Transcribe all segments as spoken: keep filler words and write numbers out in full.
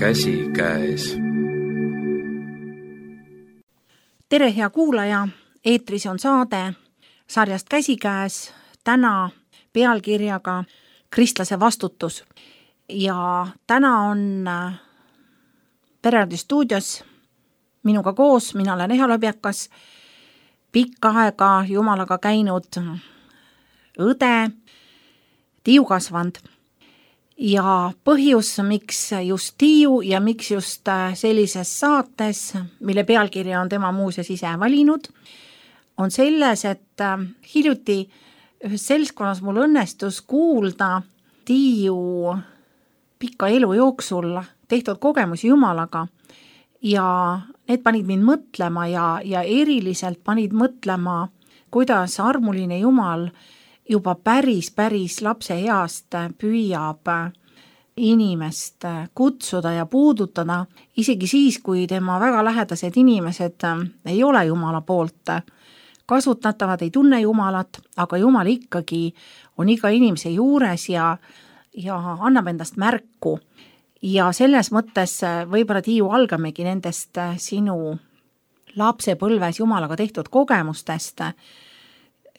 käsikäes. Tere, hea kuulaja! Eetris on saade sarjast Käsikäes, täna pealkirjaga Kristlase vastutus. Ja täna on Perearsti stuudios minuga koos, mina olen Eha Lõbjakas, pikka aega Jumalaga käinud õde Tiiu Kasvand. Ja põhjus, miks just Tiiu ja miks just sellises saates, mille pealkirja on tema muuseas ise valinud, on selles, et hiljuti ühes seltskonnas mul õnnestus kuulda Tiiu pika elu jooksul tehtud kogemusi Jumalaga ja need panid mind mõtlema ja, ja eriliselt panid mõtlema, kuidas armuline Jumal juba päris, päris lapse east püüab inimest kutsuda ja puudutada, isegi siis, kui tema väga lähedased inimesed ei ole Jumala poolt kasutatavad, ei tunne Jumalat, aga Jumal ikkagi on iga inimese juures ja, ja annab endast märku. Ja selles mõttes võib-olla Tiiu algamegi nendest sinu lapsepõlves Jumalaga tehtud kogemustest.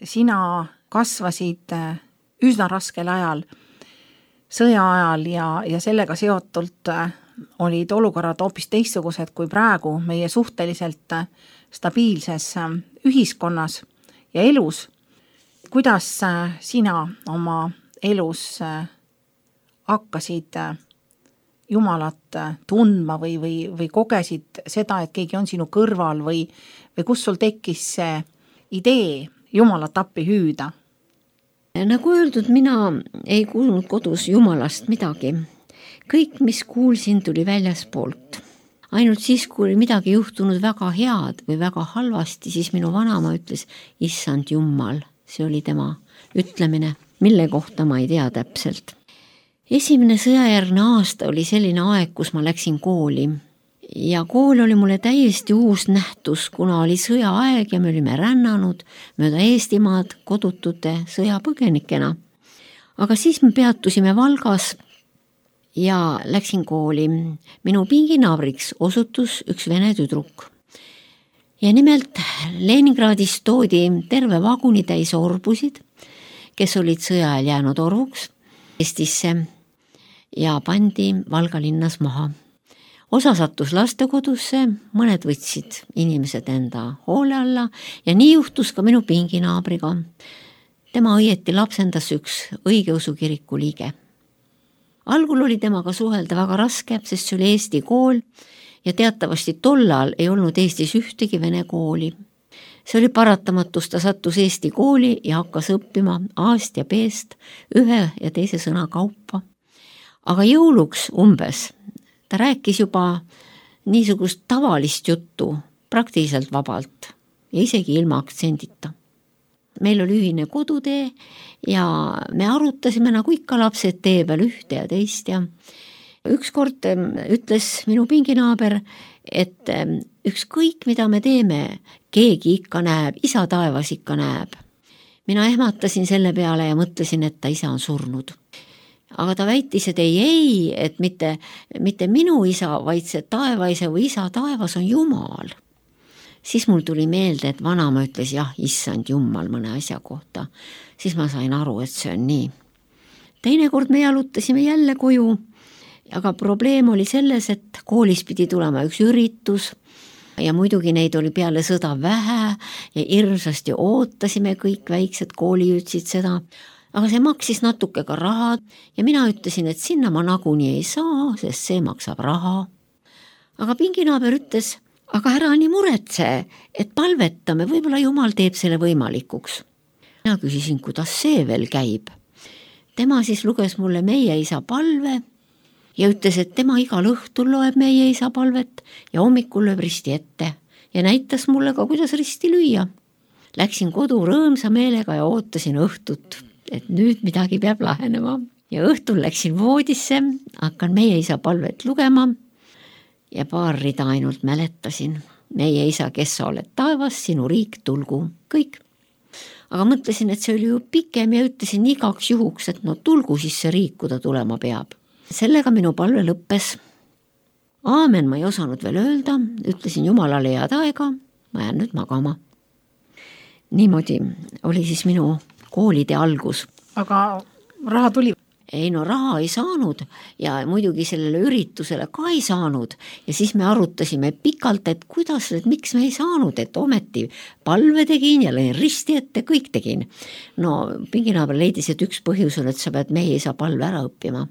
Sina kasvasid üsna raskel ajal, sõja ajal ja, ja sellega seotult olid olukorrad hoopis teistsugused kui praegu meie suhteliselt stabiilses ühiskonnas ja elus. Kuidas sina oma elus hakkasid Jumalat tundma või, või, või kogesid seda, et keegi on sinu kõrval või, või kus sul tekkis see idee Jumalat appi hüüda? Nagu öeldud, mina ei kuulnud kodus Jumalast midagi. Kõik, mis kuulsin, tuli väljaspoolt. Ainult siis, kui oli midagi juhtunud väga head või väga halvasti, siis minu vanaema ütles, issand Jumal, see oli tema ütlemine, mille kohta ma ei tea täpselt. Esimene sõjajärgne aasta oli selline aeg, kus ma läksin kooli. Ja kool oli mulle täiesti uus nähtus, kuna oli sõjaaeg ja me olime rännanud mööda Eestimaad kodutute sõjapõgenikena. Aga siis me peatusime Valgas ja läksin kooli. Minu pinginaabriks osutus üks vene tüdruk. Ja nimelt Leningradis toodi terve vaguni täis orbusid, kes olid sõja ajal jäänud orvuks Eestisse ja pandi Valga linnas maha. Osa sattus lastekodusse, mõned võtsid inimesed enda hoole alla ja nii juhtus ka minu pinginaabriga. Tema õieti lapsendas üks õigeusu kiriku liige. Algul oli temaga suhelda väga raske, sest see oli Eesti kool ja teatavasti tollal ei olnud Eestis ühtegi vene kooli. See oli paratamatus, ta sattus Eesti kooli ja hakkas õppima A-st ja B-st ühe ja teise sõna kaupa. Aga jõuluks umbes ta rääkis juba niisugust tavalist juttu praktiliselt vabalt ja isegi ilma aktsendita. Meil oli ühine kodutee ja me arutasime nagu ikka lapsed tee peal ühte ja teist ja ükskord ütles minu pinginaaber, et ükskõik mida me teeme, keegi ikka näeb, isa taevas ikka näeb. Mina ehmatasin selle peale ja mõtlesin, et ta isa on surnud. Aga ta väitis, et ei, ei, et mitte, mitte minu isa, vaid see taevaise või isa taevas on Jumal. Siis mul tuli meelde, et vanaema ütles jah, issand Jumal mõne asja kohta. Siis ma sain aru, et see on nii. Teinekord me jalutasime jälle koju, aga probleem oli selles, et koolis pidi tulema üks üritus ja muidugi neid oli peale sõda vähe ja hirmsasti ootasime kõik väiksed koolijütsid seda. Aga see maksis natuke ka raha ja mina ütlesin, et sinna ma nagunii ei saa, sest see maksab raha. Aga pinginaaber ütles, aga ära nii muretse, et palvetame, võib-olla Jumal teeb selle võimalikuks. Mina küsisin, kuidas see veel käib. Tema siis luges mulle meie isa palve ja ütles, et tema igal õhtul loeb meie isa palvet ja hommikul lööb risti ette ja näitas mulle ka, kuidas risti lüüa. Läksin kodu rõõmsa meelega ja ootasin õhtut, et nüüd midagi peab lahenema. Ja õhtul läksin voodisse, hakkan meie isa palvet lugema ja paar rida ainult mäletasin. Meie isa, kes sa oled taevas, sinu riik tulgu. Kõik. Aga mõtlesin, et see oli ju pikem ja ütlesin igaks juhuks, et no tulgu siis see riik, kui ta tulema peab. Sellega minu palve lõppes. aamen ma ei osanud veel öelda, ütlesin Jumalale head aega, ma jään nüüd magama. Niimoodi oli siis minu koolide algus. Aga raha tuli? Ei no raha ei saanud ja muidugi sellele üritusele ka ei saanud ja siis me arutasime pikalt, et kuidas, et miks me ei saanud, et ometi palve tegin ja lõin risti ette, kõik tegin. No pinginaaber leidis, et üks põhjus on, et sa pead, meie ei saa palve ära õppima.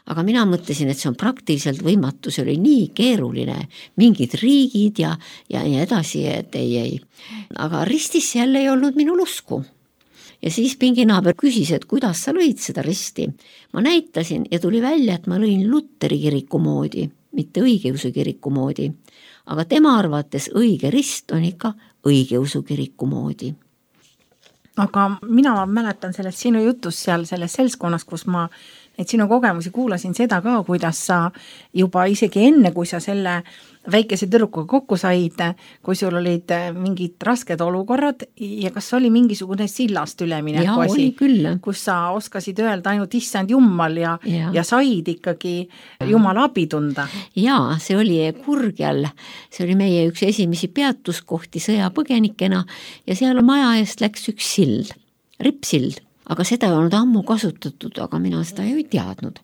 Aga mina mõtlesin, et see on praktiliselt võimatu, see oli nii keeruline, mingid riigid ja, ja nii edasi, et ei, ei. Aga ristis jälle ei olnud minul usku. Ja siis pinginaaber küsis, et kuidas sa lõid seda risti. Ma näitasin ja tuli välja, et ma lõin Luteri kiriku moodi, mitte õigeusu kiriku moodi. Aga tema arvates õige rist on ikka õigeusu kiriku moodi. Aga mina mäletan sellest sinu jutus seal selles seltskonnas, kus ma neid sinu kogemusi kuulasin seda ka, kuidas sa juba isegi enne, kui sa selle väikese tüdrukuga kokku said, kui sul olid mingid rasked olukorrad ja kas oli mingisugune sillast ülemineku asi, kus sa oskasid öelda ainult issand Jumal ja, ja. ja said ikkagi Jumala abi tunda? Jaa, see oli Kurgjal, see oli meie üks esimesi peatuskohti sõjapõgenikena ja seal maja eest läks üks sild, rippsild, aga seda ei olnud ammu kasutatud, aga mina seda ei teadnud.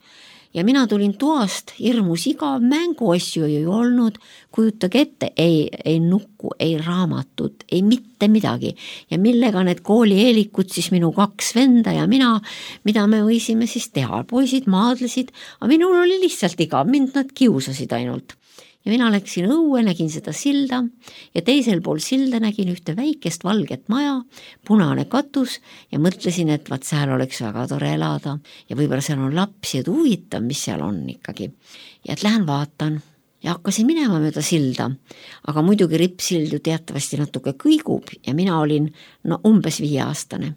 Ja mina tulin toast, hirmus igav, mänguasju ei olnud, kujutage ette, ei, ei nukku, ei raamatut, ei mitte midagi. Ja millega need koolieelikud, siis minu kaks venda ja mina, mida me võisime siis teha, poisid maadlesid, aga minul oli lihtsalt igav, mind nad kiusasid ainult. Ja mina läksin õue, nägin seda silda ja teisel pool silda nägin ühte väikest valget maja, punane katus ja mõtlesin, et vaat seal oleks väga tore elada ja võib-olla seal on lapsi, et huvitav, mis seal on ikkagi. Ja et lähen vaatan ja hakkasin minema mööda silda, aga muidugi rippsild ju teatavasti natuke kõigub ja mina olin no, umbes viieaastane.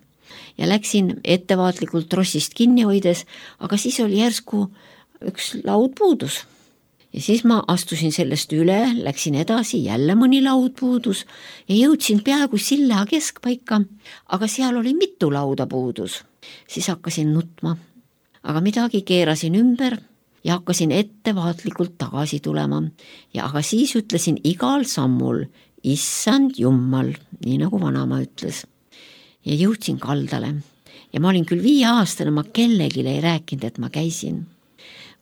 Ja läksin ettevaatlikult trossist kinni hoides, aga siis oli järsku üks laud puudus. Ja siis ma astusin sellest üle, läksin edasi, jälle mõni laud puudus ja jõudsin peaaegu silla keskpaika, aga seal oli mitu lauda puudus. Siis hakkasin nutma, aga midagi keerasin ümber ja hakkasin ettevaatlikult tagasi tulema. Ja aga siis ütlesin igal sammul, issand Jumal, nii nagu vanama ütles. Ja jõudsin kaldale ja ma olin küll viieaastane, ma kellelegi ei rääkinud, et ma käisin.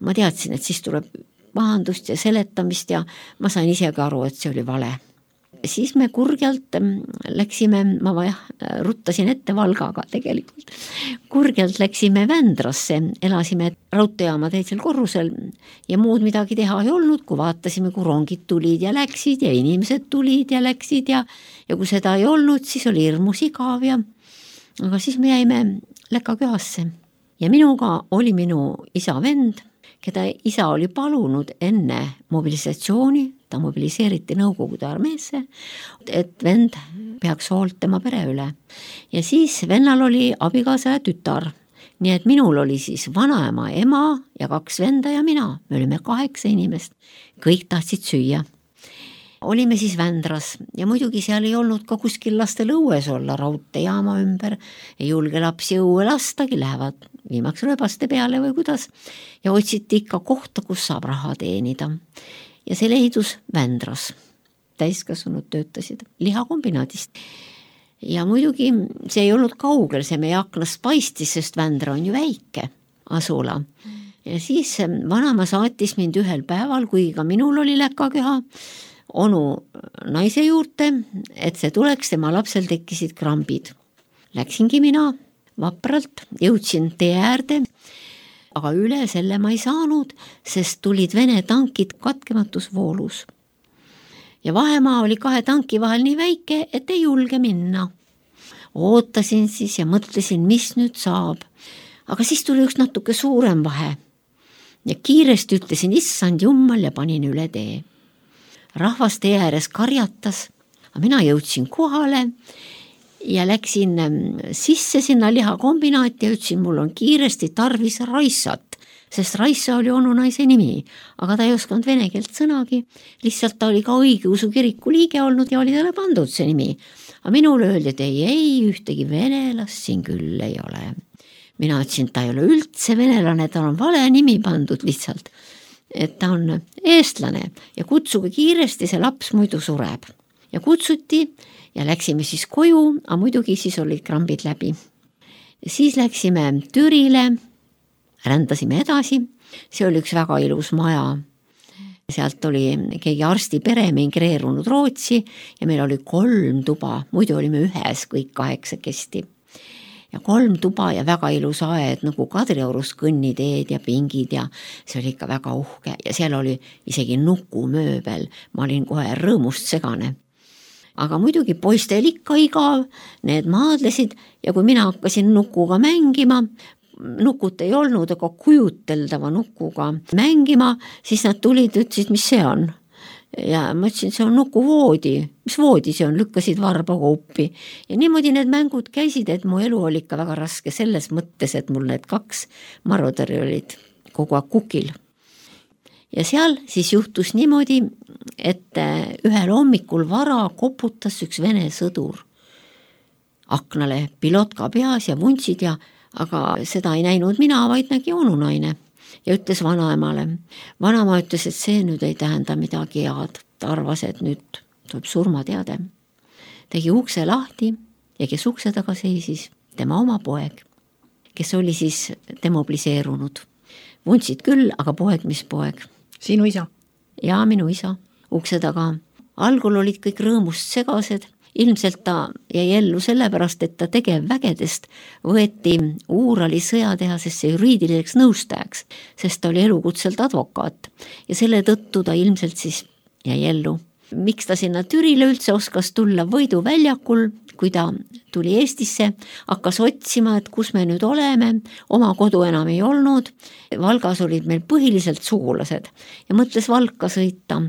Ma teadsin, et siis tuleb pahandust ja seletamist ja ma sain isegi aru, et see oli vale. Siis me Kurgjalt läksime, ma vaja, ruttasin ette Valgaga tegelikult, Kurgjalt läksime Vändrasse, elasime raudteejaama teisel korrusel ja muud midagi teha ei olnud, kui vaatasime, kui rongid tulid ja läksid ja inimesed tulid ja läksid ja, ja kui seda ei olnud, siis oli hirmus igav ja aga siis me jäime Läkaköhasse ja minuga oli minu isa vend, keda isa oli palunud enne mobilisatsiooni, ta mobiliseeriti Nõukogude armeesse, et vend peaks hoolt tema pere üle. Ja siis vennal oli abikaasa ja tütar, nii et minul oli siis vanaema, ema ja kaks venda ja mina, me olime kaheksa inimest, kõik tahtsid süüa. Olime siis Vändras ja muidugi seal ei olnud ka kuskil lastel õues olla raudteejaama ümber, ei julge lapsi õue lastagi, lähevad viimaks rööbaste peale või kuidas ja otsiti ikka kohta, kus saab raha teenida. Ja see leidus Vändras, täiskasvanud töötasid lihakombinaadist. Ja muidugi see ei olnud kaugel, see meie aknast paistis, sest Vändra on ju väike asula. Ja siis vanema saatis mind ühel päeval, kui ka minul oli Läkaköha, onu naise juurde, et see tuleks, tema lapsel tekkisid krambid. Läksingi mina vapralt, jõudsin tee äärde, aga üle selle ma ei saanud, sest tulid Vene tankid katkematus voolus. Ja vahemaa oli kahe tanki vahel nii väike, et ei julge minna. Ootasin siis ja mõtlesin, mis nüüd saab. Aga siis tuli üks natuke suurem vahe. Ja kiiresti ütlesin, issand Jumal ja panin üle tee. Rahvas tee ääres karjatas, aga mina jõudsin kohale ja läksin sisse sinna lihakombinaati ja ütlesin, mul on kiiresti tarvis Raissat, sest Raissa oli onu naise nimi, aga ta ei osanud vene keelt sõnagi, lihtsalt ta oli ka õigeusu kiriku liige olnud ja oli talle pandud see nimi. Aga minule öeldi, et ei, ei, ühtegi venelast siin küll ei ole. Mina ütlesin, ta ei ole üldse venelane, ta on vale nimi pandud lihtsalt. et ta on eestlane ja kutsuge kiiresti, see laps muidu sureb. Ja kutsuti ja läksime siis koju, aga muidugi siis olid krambid läbi. Siis läksime Türile, rändasime edasi, see oli üks väga ilus maja. Sealt oli keegi arsti pere migreerunud Rootsi ja meil oli kolm tuba, muidu olime ühes kõik kaheksakesti. Ja kolm tuba ja väga ilus aed, nagu Kadriorus kõnniteed ja pingid ja see oli ikka väga uhke ja seal oli isegi nukumööbel, ma olin kohe rõõmust segane. Aga muidugi poistel ikka igav, need maadlesid ja kui mina hakkasin nukuga mängima, nukut ei olnud, aga kujuteldava nukuga mängima, siis nad tulid ja ütlesid, mis see on. Ja ma ütlesin, see on nukuvoodi, mis voodi see on, lükkasid varba koupi. Ja niimoodi need mängud käisid, et mu elu oli ikka väga raske selles mõttes, et mul need kaks marudari olid kogu aeg kukil. Ja seal siis juhtus niimoodi, et ühel hommikul vara koputas üks vene sõdur aknale pilotka peas ja vuntsid ja aga seda ei näinud mina, vaid nägi onunaine ja ütles vanaemale. Vanaema ütles, et see nüüd ei tähenda midagi head. Ta arvas, et nüüd tuleb surmateade. Tegi ukse lahti ja kes ukse taga seisis, tema oma poeg, kes oli siis demobiliseerunud. Vuntsid küll, aga poeg, mis poeg? Sinu isa? Ja minu isa. Ukse taga. Algul olid kõik rõõmust segased. Ilmselt ta jäi ellu sellepärast, et ta tegevvägedest võeti Uurali sõjatehasesse juriidiliseks nõustajaks, sest ta oli elukutselt advokaat ja selle tõttu ta ilmselt siis jäi ellu. Miks ta sinna Türile üldse oskas tulla Võidu väljakul, kui ta tuli Eestisse, hakkas otsima, et kus me nüüd oleme, oma kodu enam ei olnud, Valgas olid meil põhiliselt sugulased ja mõtles Valka sõita,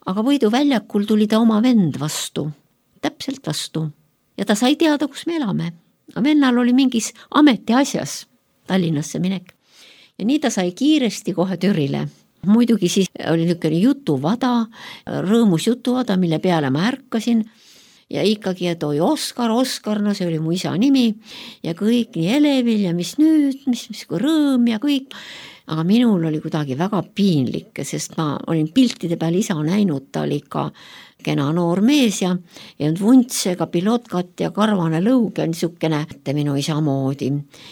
aga Võidu väljakul tuli ta oma vend vastu. Täpselt vastu. Ja ta sai teada, kus me elame. Vennal oli mingis ameti asjas Tallinnasse minek. Ja nii ta sai kiiresti kohe Türile. Muidugi siis oli niisugune jutuvada, rõõmus jutuvada, mille peale ma ärkasin. Ja ikkagi, et oi Oskar, Oskar, no see oli mu isa nimi. Ja kõik nii elevil ja mis nüüd, mis, mis kui rõõm ja kõik. Aga minul oli kuidagi väga piinlik, sest ma olin piltide peal isa näinud, ta oli ka kena noor mees ja, ja vuntsega pilotkat ja karvane lõug ja niisugune minu isa moodi.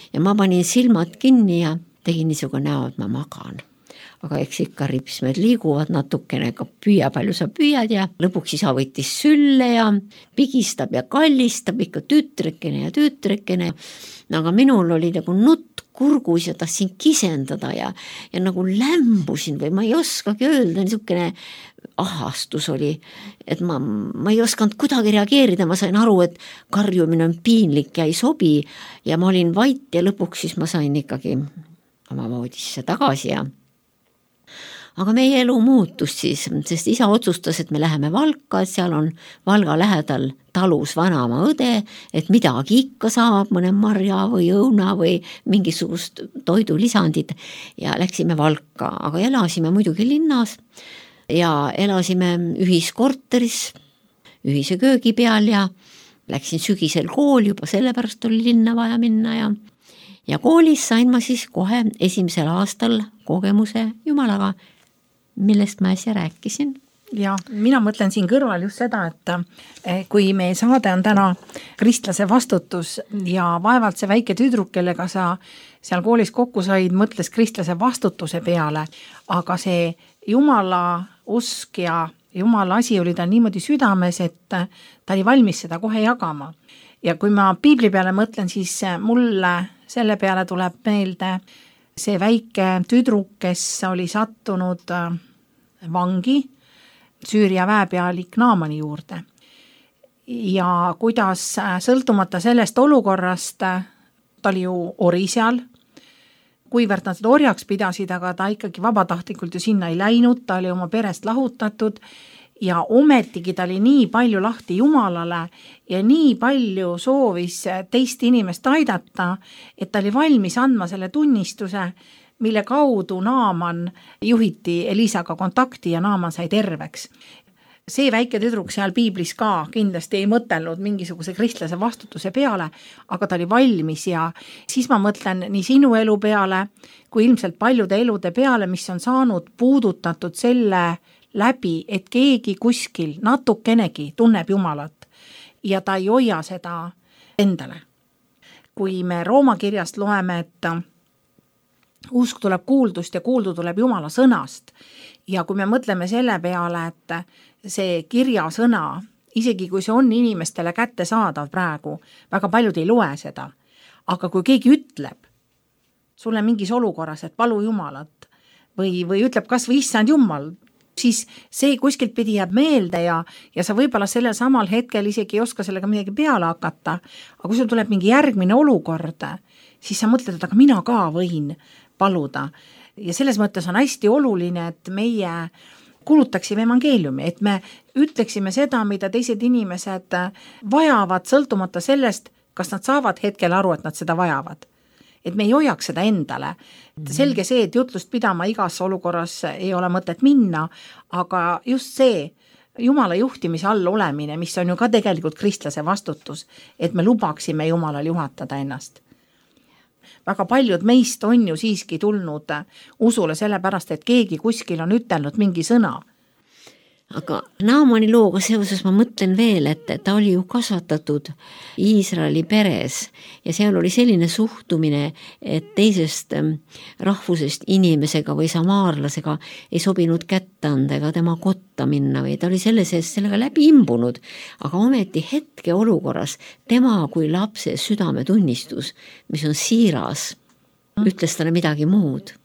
Ja ma panin silmad kinni ja tegin niisugune näo, et ma magan. Aga eks ikka ripsmed liiguvad natukene, ka püüa, palju sa püüad ja lõpuks isa võttis sülle ja pigistab ja kallistab ikka tütrekene ja tütrekene. Aga minul oli nagu nutt kurgus ja tahtsin kisendada ja, ja nagu lämbusin või ma ei oskagi öelda, niisugune ahastus oli, et ma, ma ei osanud kuidagi reageerida, ma sain aru, et karjumine on piinlik ja ei sobi ja ma olin vait ja lõpuks siis ma sain ikkagi oma voodisse tagasi ja aga meie elu muutus siis, sest isa otsustas, et me läheme Valka, et seal on Valga lähedal talus vanaema õde, et midagi ikka saab, mõne marja või õuna või mingisugust toidulisandid ja läksime Valka, aga elasime muidugi linnas ja elasime ühiskorteris, ühise köögi peal ja läksin sügisel kool, juba sellepärast oli linna vaja minna ja ja koolis sain ma siis kohe esimesel aastal kogemuse Jumalaga, millest ma äsja rääkisin. Ja mina mõtlen siin kõrval just seda, et kui meie saade on täna kristlase vastutus ja vaevalt see väike tüdruk, kellega sa seal koolis kokku said, mõtles kristlase vastutuse peale, aga see Jumala usk ja Jumala asi oli ta niimoodi südames, et ta oli valmis seda kohe jagama. Ja kui ma piibli peale mõtlen, siis mulle selle peale tuleb meelde see väike tüdruk, kes oli sattunud vangi Süüria väepealik Naamani juurde. Ja kuidas sõltumata sellest olukorrast, ta oli ju ori seal, kuivõrd nad seda orjaks pidasid, aga ta ikkagi vabatahtlikult ju sinna ei läinud, ta oli oma perest lahutatud ja ometigi ta oli nii palju lahti Jumalale ja nii palju soovis teist inimest aidata, et ta oli valmis andma selle tunnistuse, mille kaudu Naaman juhiti Elisaga kontakti ja Naaman sai terveks. see väike tüdruk seal piiblis ka kindlasti ei mõtelnud mingisuguse kristlase vastutuse peale, aga ta oli valmis ja siis ma mõtlen nii sinu elu peale, kui ilmselt paljude elude peale, mis on saanud puudutatud selle läbi, et keegi kuskil natukenegi tunneb Jumalat ja ta ei hoia seda endale. Kui me Rooma kirjast loeme, et usk tuleb kuuldust ja kuuldu tuleb Jumala sõnast ja kui me mõtleme selle peale, et see kirjasõna, isegi kui see on inimestele kättesaadav praegu, väga paljud ei loe seda, aga kui keegi ütleb sulle mingis olukorras, et palu Jumalat või, või ütleb kas või issand Jumal, siis see kuskilt pidi jääb meelde ja, ja sa võib-olla sellel samal hetkel isegi ei oska sellega midagi peale hakata, aga kui sul tuleb mingi järgmine olukord, siis sa mõtled, et aga mina ka võin paluda. Ja selles mõttes on hästi oluline, et meie kuulutaksime evangeeliumi, et me ütleksime seda, mida teised inimesed vajavad, sõltumata sellest, kas nad saavad hetkel aru, et nad seda vajavad. Et me ei hoiaks seda endale. Selge see, et jutlust pidama igas olukorras ei ole mõtet minna, aga just see Jumala juhtimise all olemine, mis on ju ka tegelikult kristlase vastutus, et me lubaksime Jumalal juhatada ennast. Väga paljud meist on ju siiski tulnud usule sellepärast, et keegi kuskil on ütelnud mingi sõna. Aga Naamani looga seoses ma mõtlen veel, et ta oli ju kasvatatud Iisraeli peres ja seal oli selline suhtumine, et teisest rahvusest inimesega või samaarlasega ei sobinud kätte anda ega tema kotta minna või ta oli selle sees sellega läbi imbunud, aga ometi hetke olukorras tema kui lapse südametunnistus, mis on siiras, ütles talle midagi muud.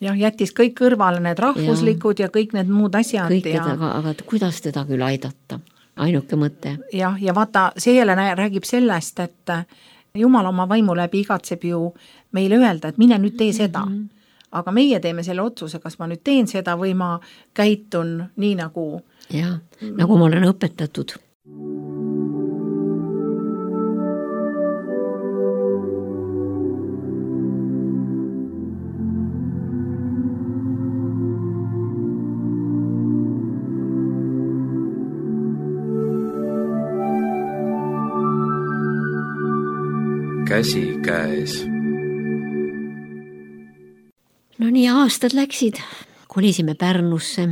Jah, jättis kõik kõrvale need rahvuslikud ja, ja kõik need muud asjad. Kõik, ja... aga, aga kuidas teda küll aidata? Ainuke mõte. Jah, ja vaata, see jälle räägib sellest, et Jumal oma vaimu läbi igatseb ju meile öelda, et mine nüüd tee seda. Mm-hmm. Aga meie teeme selle otsuse, kas ma nüüd teen seda või ma käitun nii nagu... Jah, nagu ma olen õpetatud. Käsi käes. No nii aastad läksid, kolisime Pärnusse,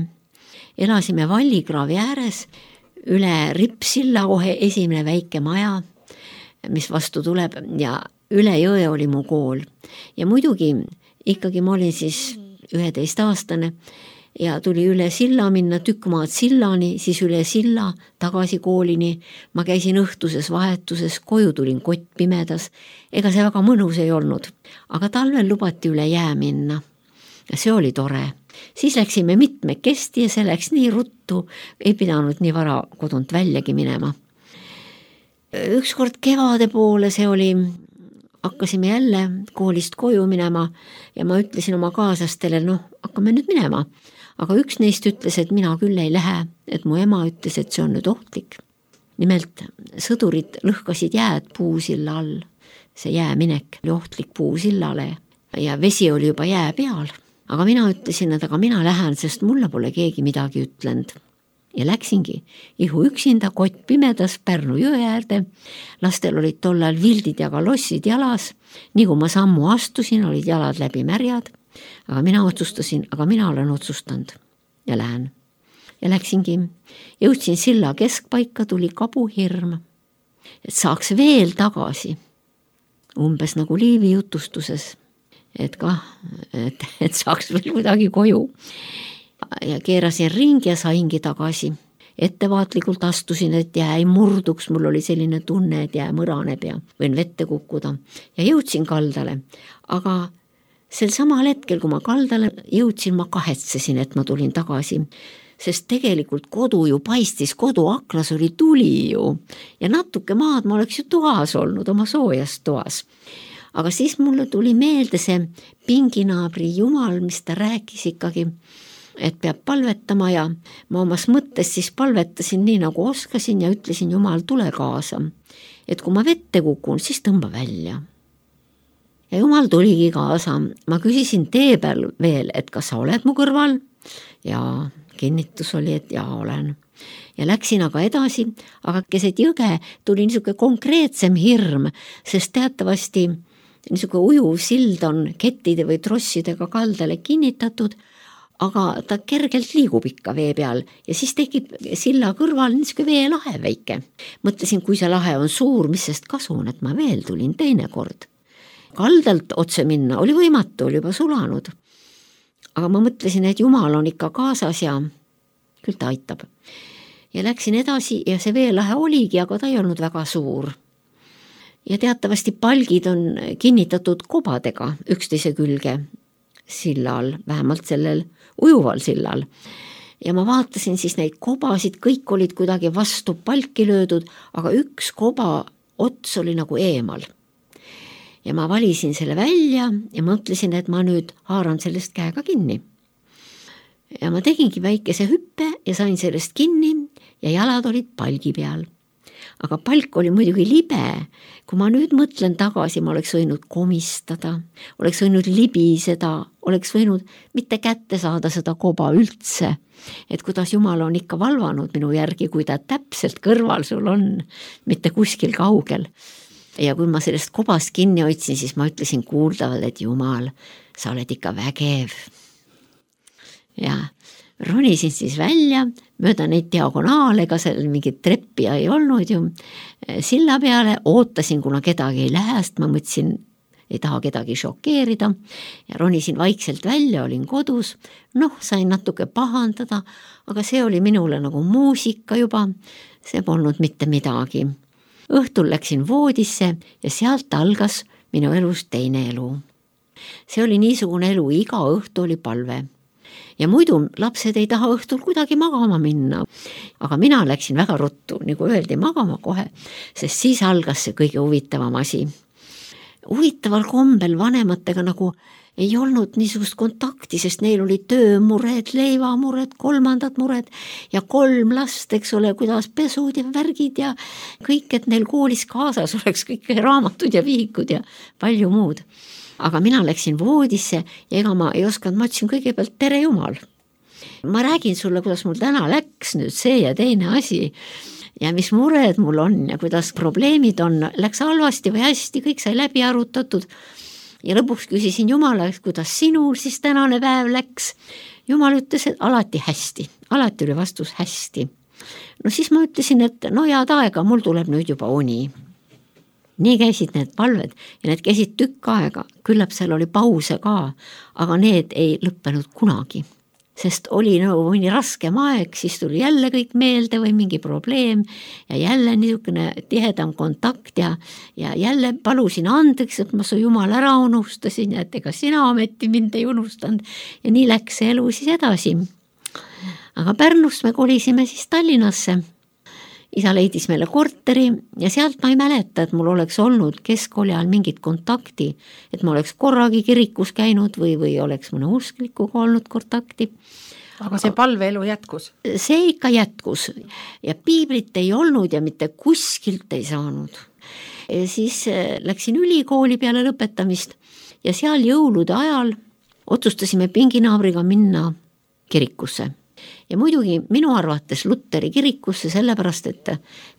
elasime Vallikraavi ääres, üle Rippsilla kohe esimene väike maja, mis vastu tuleb ja üle jõe oli mu kool. Ja muidugi ikkagi ma olin siis üheteist aastane ja tuli üle silla minna tükk maad sillani, siis üle silla tagasi koolini. Ma käisin õhtuses vahetuses, koju tulin kott pimedas. Ega see väga mõnus ei olnud, aga talvel lubati üle jää minna. Ja see oli tore. Siis läksime mitmekesti ja see läks nii ruttu, ei pidanud nii vara kodunt väljagi minema. Ükskord kevade poole see oli, hakkasime jälle koolist koju minema ja ma ütlesin oma kaaslastele, noh, hakkame nüüd minema. Aga üks neist ütles, et mina küll ei lähe, et mu ema ütles, et see on nüüd ohtlik. Nimelt sõdurid lõhkasid jääd puusilla all. See jääminek oli ohtlik puusillale ja vesi oli juba jää peal. Aga mina ütlesin, et aga mina lähen, sest mulle pole keegi midagi ütlenud. Ja läksingi ihu üksinda kott pimedas Pärnu jõe äärde. Lastel olid tollal vildid ja kalossid jalas. Nii kui ma sammu astusin, olid jalad läbi märjad. Aga mina otsustasin, aga mina olen otsustanud ja lähen. Ja läksingi, jõudsin silla keskpaika, tuli kabuhirm, et saaks veel tagasi, umbes nagu Liivi jutustuses, et kah, et, et saaks veel kuidagi koju. Ja keerasin ringi ja saingi tagasi. Ettevaatlikult astusin, et jää ei murduks, mul oli selline tunne, et jää mõraneb ja võin vette kukkuda. Ja jõudsin kaldale, aga sel samal hetkel, kui ma kaldale jõudsin, ma kahetsesin, et ma tulin tagasi, sest tegelikult kodu ju paistis, kodu aknas oli tuli ju ja natuke maad ma oleks ju toas olnud, oma soojas toas. Aga siis mulle tuli meelde see pinginaabri Jumal, mis ta rääkis ikkagi, et peab palvetama ja ma omas mõttes siis palvetasin nii nagu oskasin ja ütlesin Jumal, tule kaasa, et kui ma vette kukun, siis tõmba välja. Ja Jumal tuligi kaasa. Ma küsisin tee peal veel, et kas sa oled mu kõrval? Ja kinnitus oli, et jaa olen. ja läksin aga edasi, aga keset jõge tuli niisugune konkreetsem hirm, sest teatavasti niisugune ujuv sild on kettide või trossidega kaldale kinnitatud, aga ta kergelt liigub ikka vee peal ja siis tekib silla kõrval niisugune veelahe väike. Mõtlesin, kui see lahe on suur, mis sest kasu on, et ma veel tulin teine kord. Kaldalt otse minna oli võimatu, oli juba sulanud. Aga ma mõtlesin, et Jumal on ikka kaasas ja küll ta aitab. Ja läksin edasi ja see veelahe oligi, aga ta ei olnud väga suur. Ja teatavasti palgid on kinnitatud kobadega üksteise külge sillal, vähemalt sellel ujuval sillal. Ja ma vaatasin siis neid kobasid, kõik olid kuidagi vastu palki löödud, aga üks koba ots oli nagu eemal. Ja ma valisin selle välja ja mõtlesin, et ma nüüd haaran sellest käega kinni. Ja ma tegingi väikese hüppe ja sain sellest kinni ja jalad olid palgi peal. Aga palk oli muidugi libe. Kui ma nüüd mõtlen tagasi, ma oleks võinud komistada, oleks võinud libiseda, oleks võinud mitte kätte saada seda koba üldse. Et kuidas Jumal on ikka valvanud minu järgi, kui ta täpselt kõrval sul on, mitte kuskil kaugel. Ja kui ma sellest kobast kinni hoidsin, siis ma ütlesin kuuldavalt, et Jumal, sa oled ikka vägev. Ja ronisin siis välja, mööda neid diagonaale, ega seal mingit treppi ei olnud ju, silla peale, ootasin, kuna kedagi ei lähe, sest ma mõtlesin, ei taha kedagi šokeerida ja ronisin vaikselt välja, olin kodus, noh, sain natuke pahandada, aga see oli minule nagu muusika juba, see polnud mitte midagi. Õhtul läksin voodisse ja sealt algas minu elus teine elu. See oli niisugune elu, iga õhtu oli palve. Ja muidu lapsed ei taha õhtul kuidagi magama minna, aga mina läksin väga ruttu, nagu öeldi, magama kohe, sest siis algas see kõige huvitavam asi. Huvitaval kombel vanematega nagu ei olnud niisugust kontakti, sest neil oli töömured, leivamured, kolmandad mured ja kolm last, eks ole, kuidas pesud ja värgid ja kõik, et neil koolis kaasas oleks kõik raamatud ja vihikud ja palju muud. Aga mina läksin voodisse ja ega ma ei osanud, ma ütlesin kõigepealt tere Jumal. Ma räägin sulle, kuidas mul täna läks nüüd see ja teine asi ja mis mured mul on ja kuidas probleemid on, läks halvasti või hästi, kõik sai läbi arutatud. Ja lõpuks küsisin Jumala, kuidas sinul siis tänane päev läks. Jumal ütles, et alati hästi, alati oli vastus hästi. No siis ma ütlesin, et no head aega, mul tuleb nüüd juba uni. Nii käisid need palved ja need käisid tükk aega, küllap seal oli pause ka, aga need ei lõppenud kunagi. Sest oli nagu mõni raskem aeg, siis tuli jälle kõik meelde või mingi probleem ja jälle niisugune tihedam kontakt ja, ja jälle palusin andeks, et ma su Jumal ära unustasin ja et ega sina ometi mind ei unustanud ja nii läks see elu siis edasi. Aga Pärnust me kolisime siis Tallinnasse. Isa leidis meile korteri ja sealt ma ei mäleta, et mul oleks olnud keskkooli ajal mingit kontakti, et ma oleks korragi kirikus käinud või, või oleks mõne usklikuga olnud kontakti. Aga see palveelu jätkus? See ikka jätkus ja piiblit ei olnud ja mitte kuskilt ei saanud. Ja siis läksin ülikooli peale lõpetamist ja seal jõulude ajal otsustasime pinginaabriga minna kirikusse. Ja muidugi minu arvates Luteri kirikusse sellepärast, et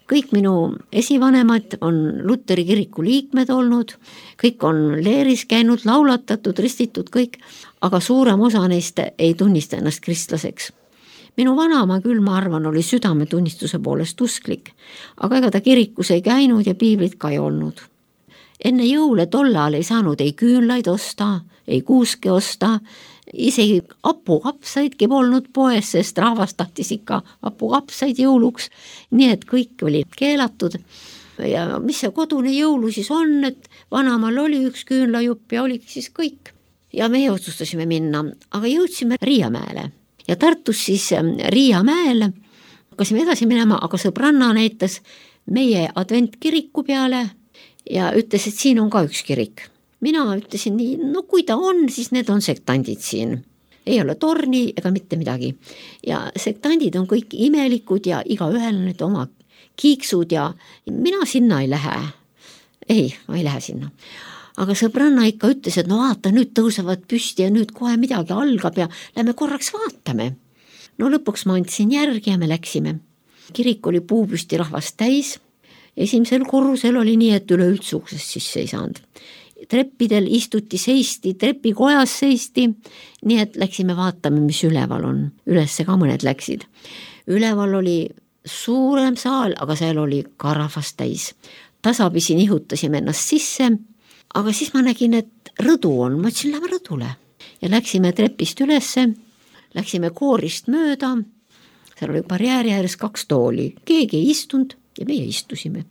kõik minu esivanemad on Luteri kiriku liikmed olnud, kõik on leeris käinud, laulatatud, ristitud kõik, aga suurem osa neist ei tunnista ennast kristlaseks. Minu vanaema küll, ma arvan, oli südametunnistuse poolest usklik, aga ega ta kirikus ei käinud ja piiblit ka ei olnud. Enne jõule tollal ei saanud ei küünlaid osta, ei kuuske osta, isegi apukapsaidki polnud poes, sest rahvas tahtis ikka apukapsaid jõuluks, nii et kõik oli keelatud. Ja mis see kodune jõulu siis on, et vanamal oli üks küünlajupp ja oligi siis kõik. Ja meie otsustasime minna, aga jõudsime Riiamäele ja Tartus siis Riiamäel hakkasime edasi minema, aga sõbranna näitas meie adventkiriku peale ja ütles, et siin on ka üks kirik. Mina ütlesin nii, no kui ta on, siis need on sektandid siin. Ei ole torni ega mitte midagi. Ja sektandid on kõik imelikud ja iga ühel on need oma kiiksud ja mina sinna ei lähe. Ei, ma ei lähe sinna. Aga sõbranna ikka ütles, et no vaata, nüüd tõusevad püsti ja nüüd kohe midagi algab ja lähme korraks vaatame. No lõpuks ma andsin järgi ja me läksime. kirik oli puupüsti rahvast täis, esimesel korrusel oli nii, et üleüldse uksest sisse ei saanud. Treppidel istuti, seisti, trepikojas seisti, nii et läksime vaatame, mis üleval on. Ülesse ka mõned läksid. Üleval oli suurem saal, aga seal oli ka rahvast täis. Tasapisi nihutasime ennast sisse, aga siis ma nägin, et rõdu on, ma ütlesin, lähme rõdule. Ja läksime trepist ülesse, läksime koorist mööda, seal oli barjääri ääres kaks tooli, keegi ei istunud ja meie istusime.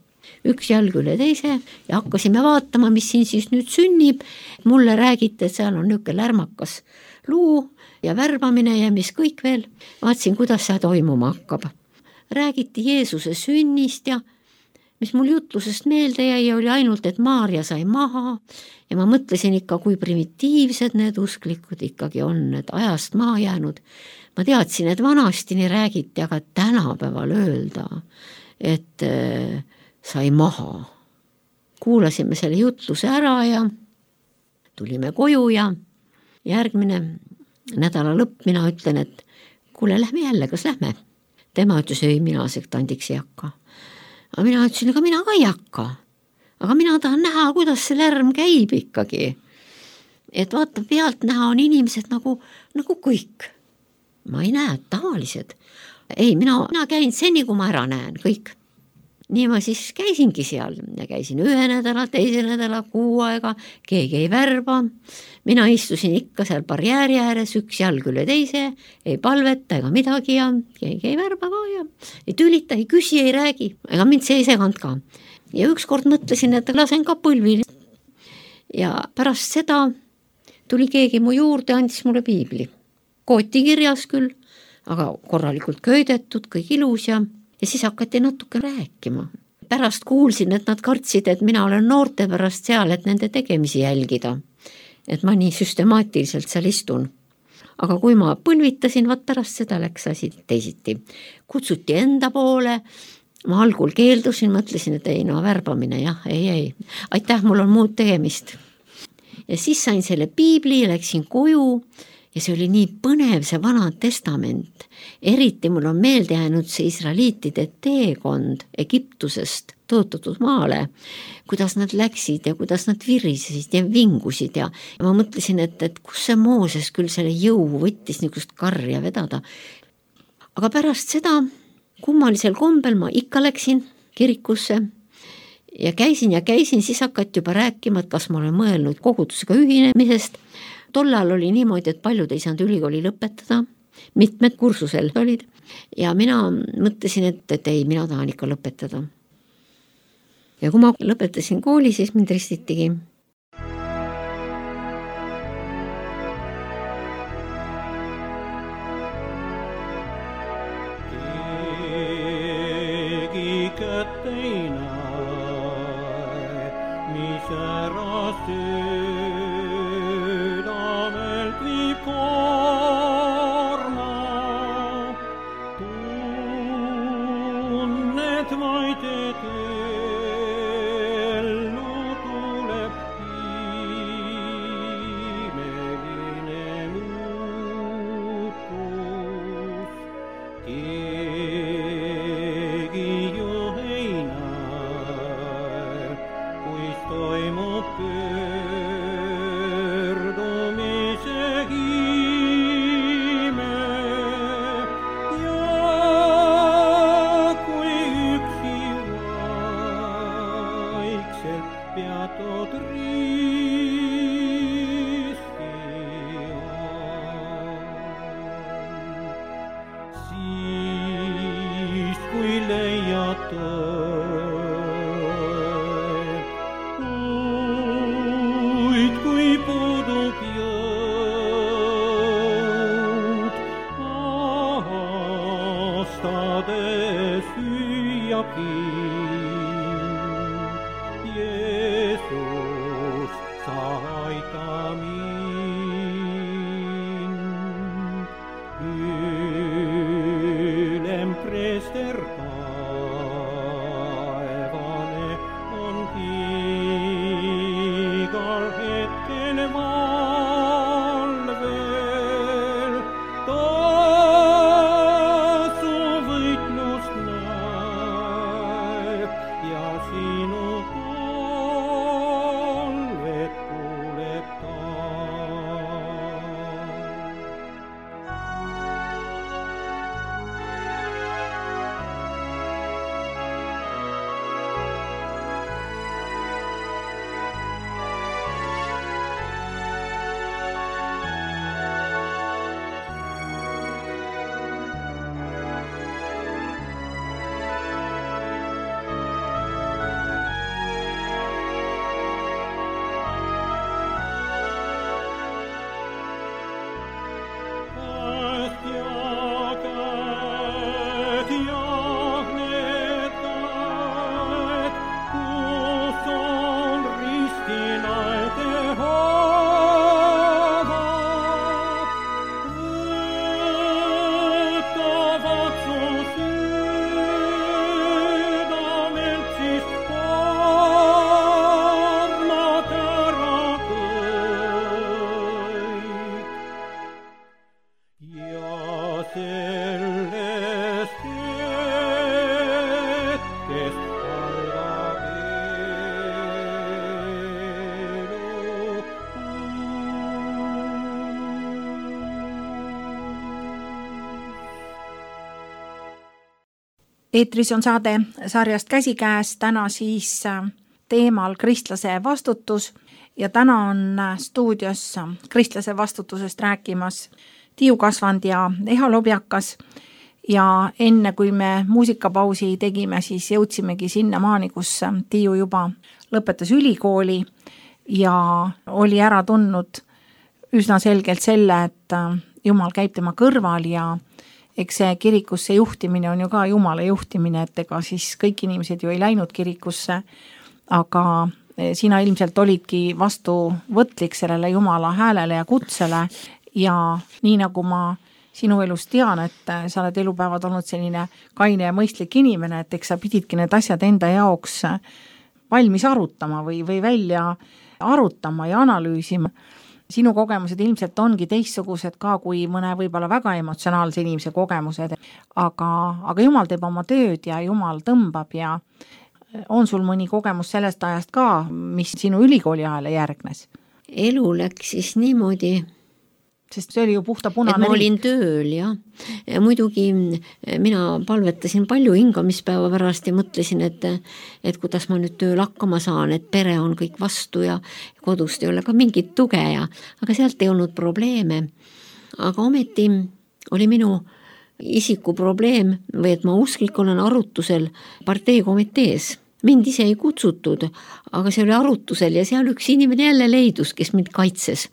Üks jalg üle teise ja hakkasime vaatama, mis siin siis nüüd sünnib. Mulle räägiti, et seal on niuke lärmakas luu ja värbamine ja mis kõik veel. Vaatsin, kuidas see toimuma hakkab. Räägiti Jeesuse sünnist ja mis mul jutlusest meelde jäi, oli ainult, et Maarja sai maha ja ma mõtlesin ikka, kui primitiivsed need usklikud ikkagi on, et ajast maha jäänud. Ma teadsin, et vanasti nii räägiti, aga tänapäeval öelda, et äh, sai maha. Kuulasime selle jutluse ära ja tulime koju ja järgmine nädala lõpp mina ütlen, et kuule, lähme jälle, kas lähme? Tema ütles, ei, mina sektandiks ei hakka. Aga mina ütlesin, ega mina ka ei hakka. Aga mina tahan näha, kuidas see lärm käib ikkagi. Et vaata, pealt näha on inimesed nagu, nagu kõik. Ma ei näe, tavalised. Ei, mina, mina käin seni, kui ma ära näen, kõik. Nii ma siis käisingi seal ja käisin ühe nädala, teise nädala, kuu aega, keegi ei värba. Mina istusin ikka seal barjääri ääres, üks jalg üle teise, ei palveta ega midagi ja keegi ei värba ka ja ei tülita, ei küsi, ei räägi, ega mind see ei seganud ka. Ja ükskord mõtlesin, et lasen ka põlvi. Ja pärast seda tuli keegi mu juurde, andis mulle piibli. Kooti kirjas küll, aga korralikult köidetud, kõik ilus ja Ja siis hakati natuke rääkima. Pärast kuulsin, et nad kartsid, et mina olen noorte pärast seal, et nende tegemisi jälgida. Et ma nii süstemaatiliselt seal istun. Aga kui ma põlvitasin, vaat pärast seda läks asi teisiti. Kutsuti enda poole, ma algul keeldusin, mõtlesin, et ei, no värbamine, jah, ei, ei. Aitäh, mul on muud tegemist. Ja siis sain selle piibli ja läksin koju. Ja see oli nii põnev, see vana testament. Eriti mul on meelde jäänud see israeliitide teekond Egiptusest tõotatud maale, kuidas nad läksid ja kuidas nad virisesid ja vingusid. Ja, ja ma mõtlesin, et, et kus see Mooses küll selle jõu võttis niisugust karja vedada. Aga pärast seda kummalisel kombel ma ikka läksin kirikusse ja käisin ja käisin, siis hakati juba rääkima, et kas ma olen mõelnud kogudusega ühinemisest. Tollal oli niimoodi, et paljud ei saanud ülikooli lõpetada, mitmed kursusel olid ja mina mõtlesin, et, et ei, mina tahan ikka lõpetada. Ja kui ma lõpetasin kooli, siis mind ristitigi. Keegi kätte ei näe, mis ära see Jeesus, sa aita mind. Ylem prester taevane on igal hetkel valvel. Ta su võitlust näeb. Eetris on saade sarjast Käsikäes, täna siis teemal kristlase vastutus ja täna on stuudios kristlase vastutusest rääkimas Tiiu Kasvand ja Eha Lobjakas ja enne kui me muusikapausi tegime, siis jõudsimegi sinna maani, kus Tiiu juba lõpetas ülikooli ja oli ära tundnud üsna selgelt selle, et Jumal käib tema kõrval ja eks see kirikusse juhtimine on ju ka Jumala juhtimine, et ega siis kõik inimesed ju ei läinud kirikusse, aga sina ilmselt olidki vastuvõtlik sellele Jumala häälele ja kutsele ja nii nagu ma sinu elus tean, et sa oled elupäevad olnud selline kaine ja mõistlik inimene, et eks sa pididki need asjad enda jaoks valmis arutama või, või välja arutama ja analüüsima. Sinu kogemused ilmselt ongi teistsugused ka kui mõne võib-olla väga emotsionaalse inimese kogemused, aga, aga Jumal teeb oma tööd ja Jumal tõmbab ja on sul mõni kogemus sellest ajast ka, mis sinu ülikooli ajale järgnes? Elu läks siis niimoodi, sest see oli ju puhta punane et ma olin tööl ja, ja muidugi mina palvetasin palju hingamispäeva pärast ja mõtlesin, et, et kuidas ma nüüd tööl hakkama saan, et pere on kõik vastu ja kodust ei ole ka mingit tuge ja, aga sealt ei olnud probleeme. Aga ometi oli minu isiku probleem või et ma usklik olen arutusel parteikomitees. Mind ise ei kutsutud, aga see oli arutusel ja seal üks inimene jälle leidus, kes mind kaitses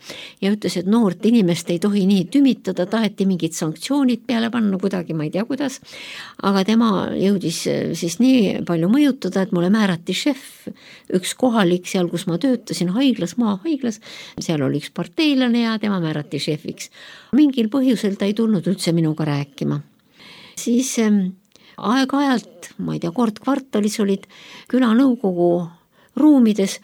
ja ütles, et noort inimest ei tohi nii tümitada, taheti mingid sanktsioonid peale panna kuidagi, ma ei tea kuidas, aga tema jõudis siis nii palju mõjutada, et mulle määrati šef, üks kohalik seal, kus ma töötasin haiglas, maahaiglas, seal oli üks parteilane ja tema määrati šefiks. Mingil põhjusel ta ei tulnud üldse minuga rääkima. Siis aeg-ajalt, ma ei tea, kord kvartalis olid külanõukogu ruumides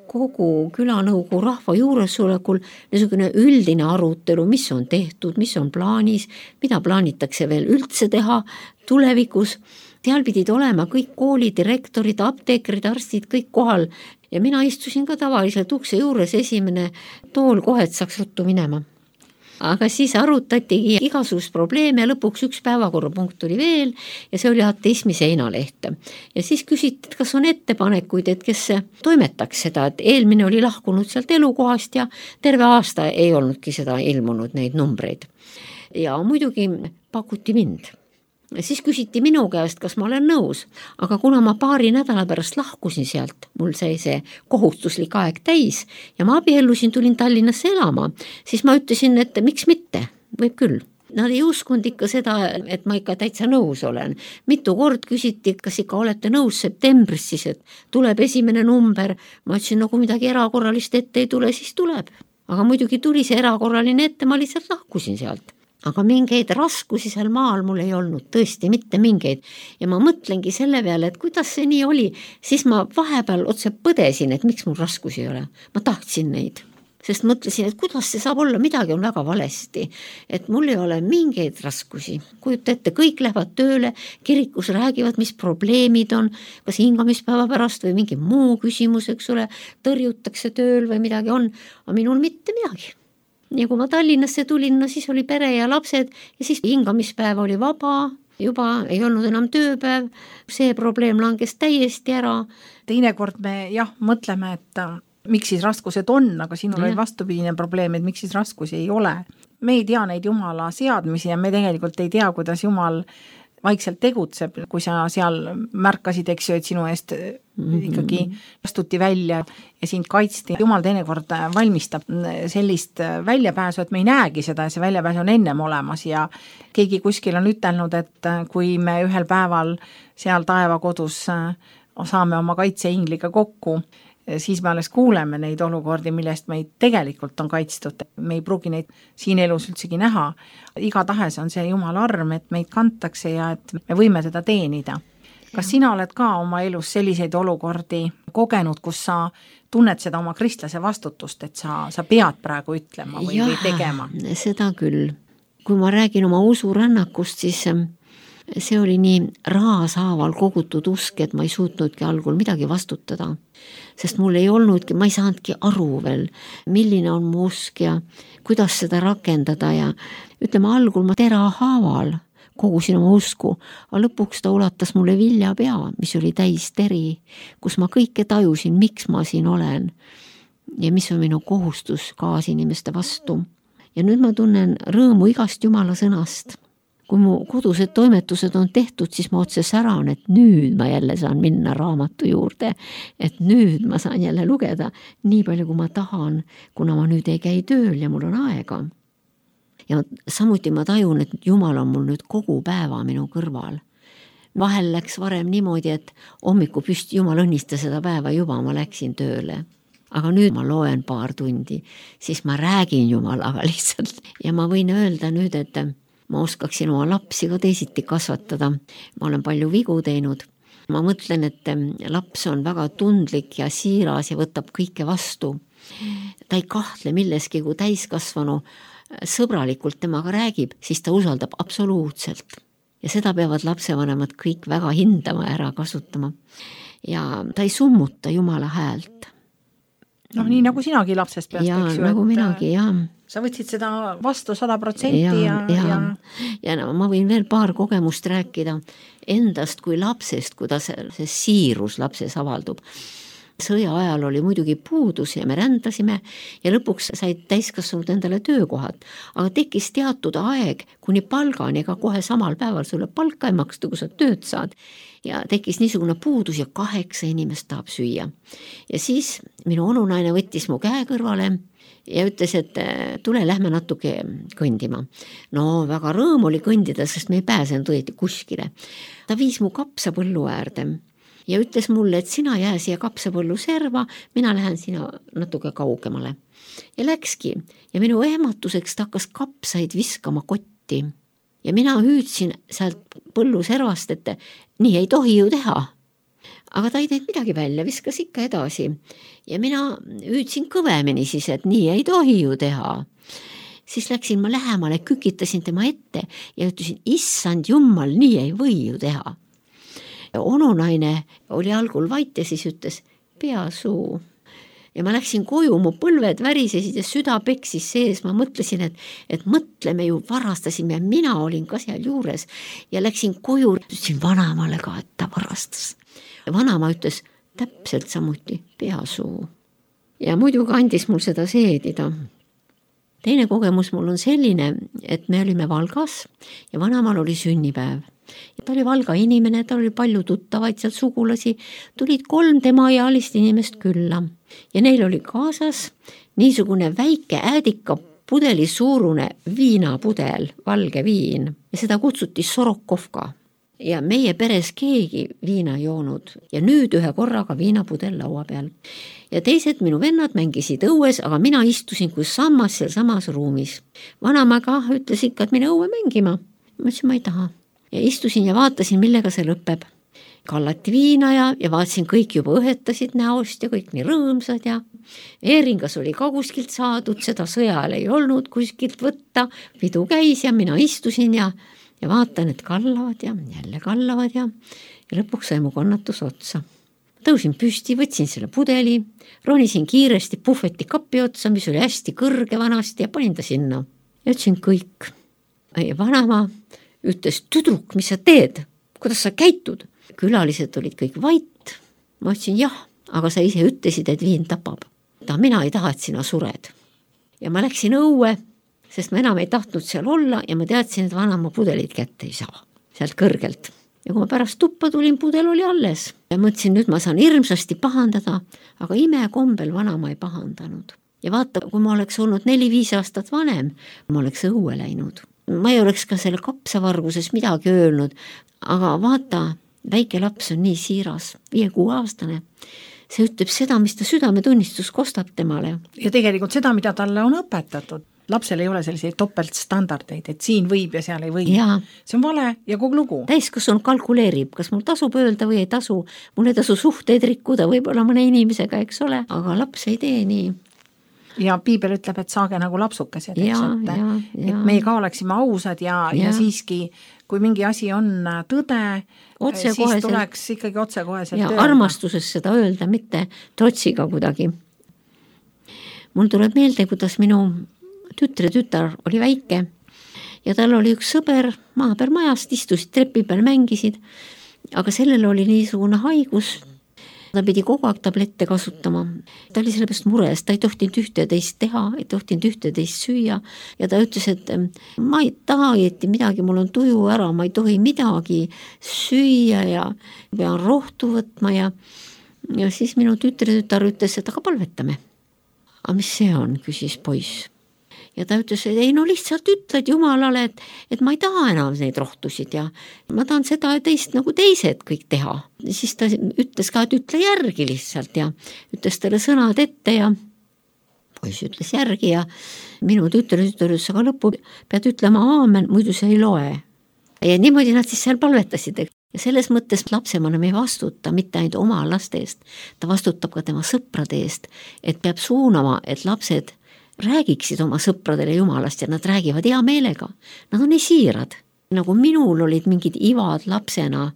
kogu külanõukogu rahva juuresolekul niisugune üldine arutelu, mis on tehtud, mis on plaanis, mida plaanitakse veel üldse teha tulevikus. Seal pidid olema kõik koolidirektorid, apteekrid, arstid, kõik kohal ja mina istusin ka tavaliselt ukse juures esimene tool kohe, et saaks ruttu minema. Aga siis arutatigi igasugust probleeme ja lõpuks üks päevakorrapunkt tuli veel ja see oli ateismi seinaleht. Ja siis küsiti, et kas on ettepanekuid, et kes toimetaks seda, et eelmine oli lahkunud sealt elukohast ja terve aasta ei olnudki seda ilmunud neid numbreid. Ja muidugi pakuti mind. Ja siis küsiti minu käest, kas ma olen nõus, aga kuna ma paari nädala pärast lahkusin sealt, mul sai see kohustuslik aeg täis ja ma abiellusin, tulin Tallinnasse elama, siis ma ütlesin, et miks mitte, võib küll. Nad ei uskunud ikka seda, et ma ikka täitsa nõus olen. Mitu kord küsiti, kas ikka olete nõus septembris siis, et tuleb esimene number. Ma ütlesin, nagu midagi erakorralist ette ei tule, siis tuleb. Aga muidugi tuli see erakorraline ette, ma lihtsalt lahkusin sealt. Aga mingeid raskusi seal maal mul ei olnud, tõesti mitte mingeid. Ja ma mõtlengi selle peale, et kuidas see nii oli, siis ma vahepeal otse põdesin, et miks mul raskusi ei ole. Ma tahtsin neid, sest mõtlesin, et kuidas see saab olla, midagi on väga valesti, et mul ei ole mingeid raskusi. Kujuta ette, kõik lähevad tööle, kirikus räägivad, mis probleemid on, kas hingamispäeva pärast või mingi muu küsimus, eks ole, tõrjutakse tööl või midagi on, aga minul mitte midagi. Ja kui ma Tallinnasse tulin, no siis oli pere ja lapsed ja siis hingamispäev oli vaba, juba ei olnud enam tööpäev, see probleem langes täiesti ära. Teinekord me jah, mõtleme, et miks siis raskused on, aga sinul oli vastupidine probleem, et miks siis raskusi ei ole. Me ei tea neid Jumala seadmisi ja me tegelikult ei tea, kuidas Jumal vaikselt tegutseb, kui sa seal märkasid, eks ju, et sinu eest ikkagi astuti välja ja sind kaitsti. Jumal teinekord valmistab sellist väljapääsu, et me ei näegi seda ja see väljapääsu on ennem olemas ja keegi kuskil on ütelnud, et kui me ühel päeval seal taevakodus saame oma kaitseingliga kokku, siis me alles kuuleme neid olukordi, millest meid tegelikult on kaitstud. Me ei pruugi neid siin elus üldsegi näha. Igatahes on see Jumala arm, et meid kantakse ja et me võime teda teenida. Kas sina oled ka oma elus selliseid olukordi kogenud, kus sa tunned seda oma kristlase vastutust, et sa, sa pead praegu ütlema või, ja, või tegema? Seda küll. Kui ma räägin oma usurännakust, siis see oli nii raashaaval kogutud usk, et ma ei suutnudki algul midagi vastutada, sest mul ei olnudki, ma ei saanudki aru veel, milline on mu usk ja kuidas seda rakendada ja ütleme algul ma terahaaval kogusin oma usku, aga lõpuks ta ulatas mulle viljapea, mis oli täis teri, kus ma kõike tajusin, miks ma siin olen ja mis on minu kohustus kaasinimeste vastu. Ja nüüd ma tunnen rõõmu igast Jumala sõnast. Kui mu kodused toimetused on tehtud, siis ma otse säran, et nüüd ma jälle saan minna raamatu juurde, et nüüd ma saan jälle lugeda nii palju, kui ma tahan, kuna ma nüüd ei käi tööl ja mul on aega. Ja samuti ma tajun, et Jumal on mul nüüd kogu päeva minu kõrval. Vahel läks varem niimoodi, et hommiku püsti Jumal õnnista seda päeva juba, ma läksin tööle. Aga nüüd ma loen paar tundi, siis ma räägin Jumalaga lihtsalt. Ja ma võin öelda nüüd, et ma oskaksin oma lapsi ka teisiti kasvatada. Ma olen palju vigu teinud. Ma mõtlen, et laps on väga tundlik ja siiras ja võtab kõike vastu. Ta ei kahtle milleski, kui täiskasvanu sõbralikult temaga räägib, siis ta usaldab absoluutselt. Ja seda peavad lapsevanemad kõik väga hindama ja ära kasutama. Ja ta ei summuta Jumala häält. Noh, nii nagu sinagi lapsest peast, ja, eks ju. Nagu minagi, jah. Sa võtsid seda vastu sada protsenti ja, ja, ja, ja... ja no, ma võin veel paar kogemust rääkida endast kui lapsest, kuidas see siirus lapses avaldub. Sõja ajal oli muidugi puudus ja me rändasime ja lõpuks said täiskasvanud endale töökohad, aga tekkis teatud aeg kuni palgani, ega kohe samal päeval sulle palka ei maksta, kui sa tööd saad. Ja tekkis niisugune puudus ja kaheksa inimest tahab süüa. Ja siis minu onunaine võttis mu käe kõrvale ja ütles, et tule, lähme natuke kõndima. No väga rõõm oli kõndida, sest me ei pääsenud õieti kuskile. Ta viis mu kapsapõllu äärde ja ütles mulle, et sina jää siia kapsapõllu serva, mina lähen sina natuke kaugemale. Ja läkski ja minu ehmatuseks ta hakkas kapsaid viskama kotti. Ja mina hüüdsin sealt põllu servast, et nii ei tohi ju teha. Aga ta ei teinud midagi välja, viskas ikka edasi. Ja mina hüüdsin kõvemini siis, et nii ei tohi ju teha. Siis läksin ma lähemale, kükitasin tema ette ja ütlesin, issand Jumal, nii ei või ju teha. Ja onunaine oli algul vait ja siis ütles, pea suu. Ja ma läksin koju, mu põlved värisesid ja süda peksis sees. Ma mõtlesin, et, et mõtleme ju, varastasime ja mina olin ka seal juures. Ja läksin koju, ütlesin vanamale ka, et ta varastas. Ja vanama ütles täpselt samuti pea suu. Ja muidugi andis mul seda seedida. Teine kogemus mul on selline, et me olime Valgas ja vanamal oli sünnipäev. Ja ta oli Valga inimene, ta oli palju tuttavaid seal sugulasi, tulid kolm tema ealist inimest külla ja neil oli kaasas niisugune väike äädika pudeli suurune viinapudel, valge viin ja seda kutsuti Sorokovka ja meie peres keegi viina joonud ja nüüd ühe korraga viinapudel laua peal. Ja teised minu vennad mängisid õues, aga mina istusin kui sammas seal samas ruumis. Vanamaga ütles ikka, et mine õue mängima. Ma ütlesin, ma ei taha. Ja istusin ja vaatasin, millega see lõpeb. Kallati viina ja, ja vaatasin, kõik juba õhetasid näost ja kõik nii rõõmsad ja eeringas oli ka kuskilt saadud, seda sõjal ei olnud kuskilt võtta, pidu käis ja mina istusin ja, ja vaatan, et kallavad ja jälle kallavad ja, ja lõpuks sai mu kannatus otsa. Tõusin püsti, võtsin selle pudeli, ronisin kiiresti puhveti kapi otsa, mis oli hästi kõrge vanasti ja panin ta sinna. Ja ütlesin kõik. Ja vanama ütles, tüdruk, mis sa teed? Kuidas sa käitud? Külalised olid kõik vait. Ma ütlesin, jah, aga sa ise ütlesid, et viin tapab. Ta, mina ei taha, et sina sured. Ja ma läksin õue, sest ma enam ei tahtnud seal olla ja ma teadsin, et vanama pudelit kätte ei saa. Sealt kõrgelt. Ja kui ma pärast tuppa tulin, pudel oli alles. Ja mõtlesin, nüüd ma saan hirmsasti pahandada, aga imekombel vanama ei pahandanud. Ja vaata, kui ma oleks olnud neli-viis aastat vanem, ma oleks õue läinud. Ma ei oleks ka selle kapsavarguses midagi öelnud, aga vaata, väike laps on nii siiras, viie-kuue aastane. See ütleb seda, mis ta südametunnistus kostab temale. Ja tegelikult seda, mida talle on õpetatud. Lapsel ei ole selliseid topeltstandardeid, et siin võib ja seal ei või. Ja. See on vale ja kogu lugu. Täiskasvanu kalkuleerib, kas mul tasub öelda või ei tasu. Mul ei tasu suhteid rikkuda võib-olla mõne inimesega, eks ole, aga laps ei tee nii. Ja piibel ütleb, et saage nagu lapsukesed, eks, ja, et, ja, ja. et meie ka oleksime ausad ja, ja. ja siiski, kui mingi asi on tõde, otse siis koheselt. Tuleks ikkagi otsekoheselt ja öelda. Armastuses seda öelda, mitte trotsiga kuidagi. Mul tuleb meelde, kuidas minu tütre tütar oli väike ja tal oli üks sõber maa peal majast, istusid trepi peal, mängisid, aga sellel oli niisugune haigus, ta pidi kogu aeg tablette kasutama. Ta oli sellepärast mures, ta ei tohtinud ühte ja teist teha, ei tohtinud ühte ja teist süüa ja ta ütles, et ma ei taha õieti midagi, mul on tuju ära, ma ei tohi midagi süüa ja pean rohtu võtma ja, ja siis minu tütre-tütar ütles, et aga palvetame. Aga mis see on, küsis poiss. Ja ta ütles, et ei no lihtsalt ütled Jumalale, et, et ma ei taha enam neid rohtusid ja ma tahan seda ja teist nagu teised kõik teha. Siis ta ütles ka, et ütle järgi lihtsalt ja ütles talle sõnad ette ja poiss ütles järgi ja minu tütre ütles, aga lõppu pead ütlema aamen, muidu see ei loe. Ja niimoodi nad siis seal palvetasid. Ja selles mõttes lapsevanem ei vastuta mitte ainult oma laste eest, ta vastutab ka tema sõprade eest, et peab suunama, et lapsed räägiksid oma sõpradele Jumalast ja nad räägivad hea meelega. Nad on esiirad. Nagu minul olid mingid ivad lapsena,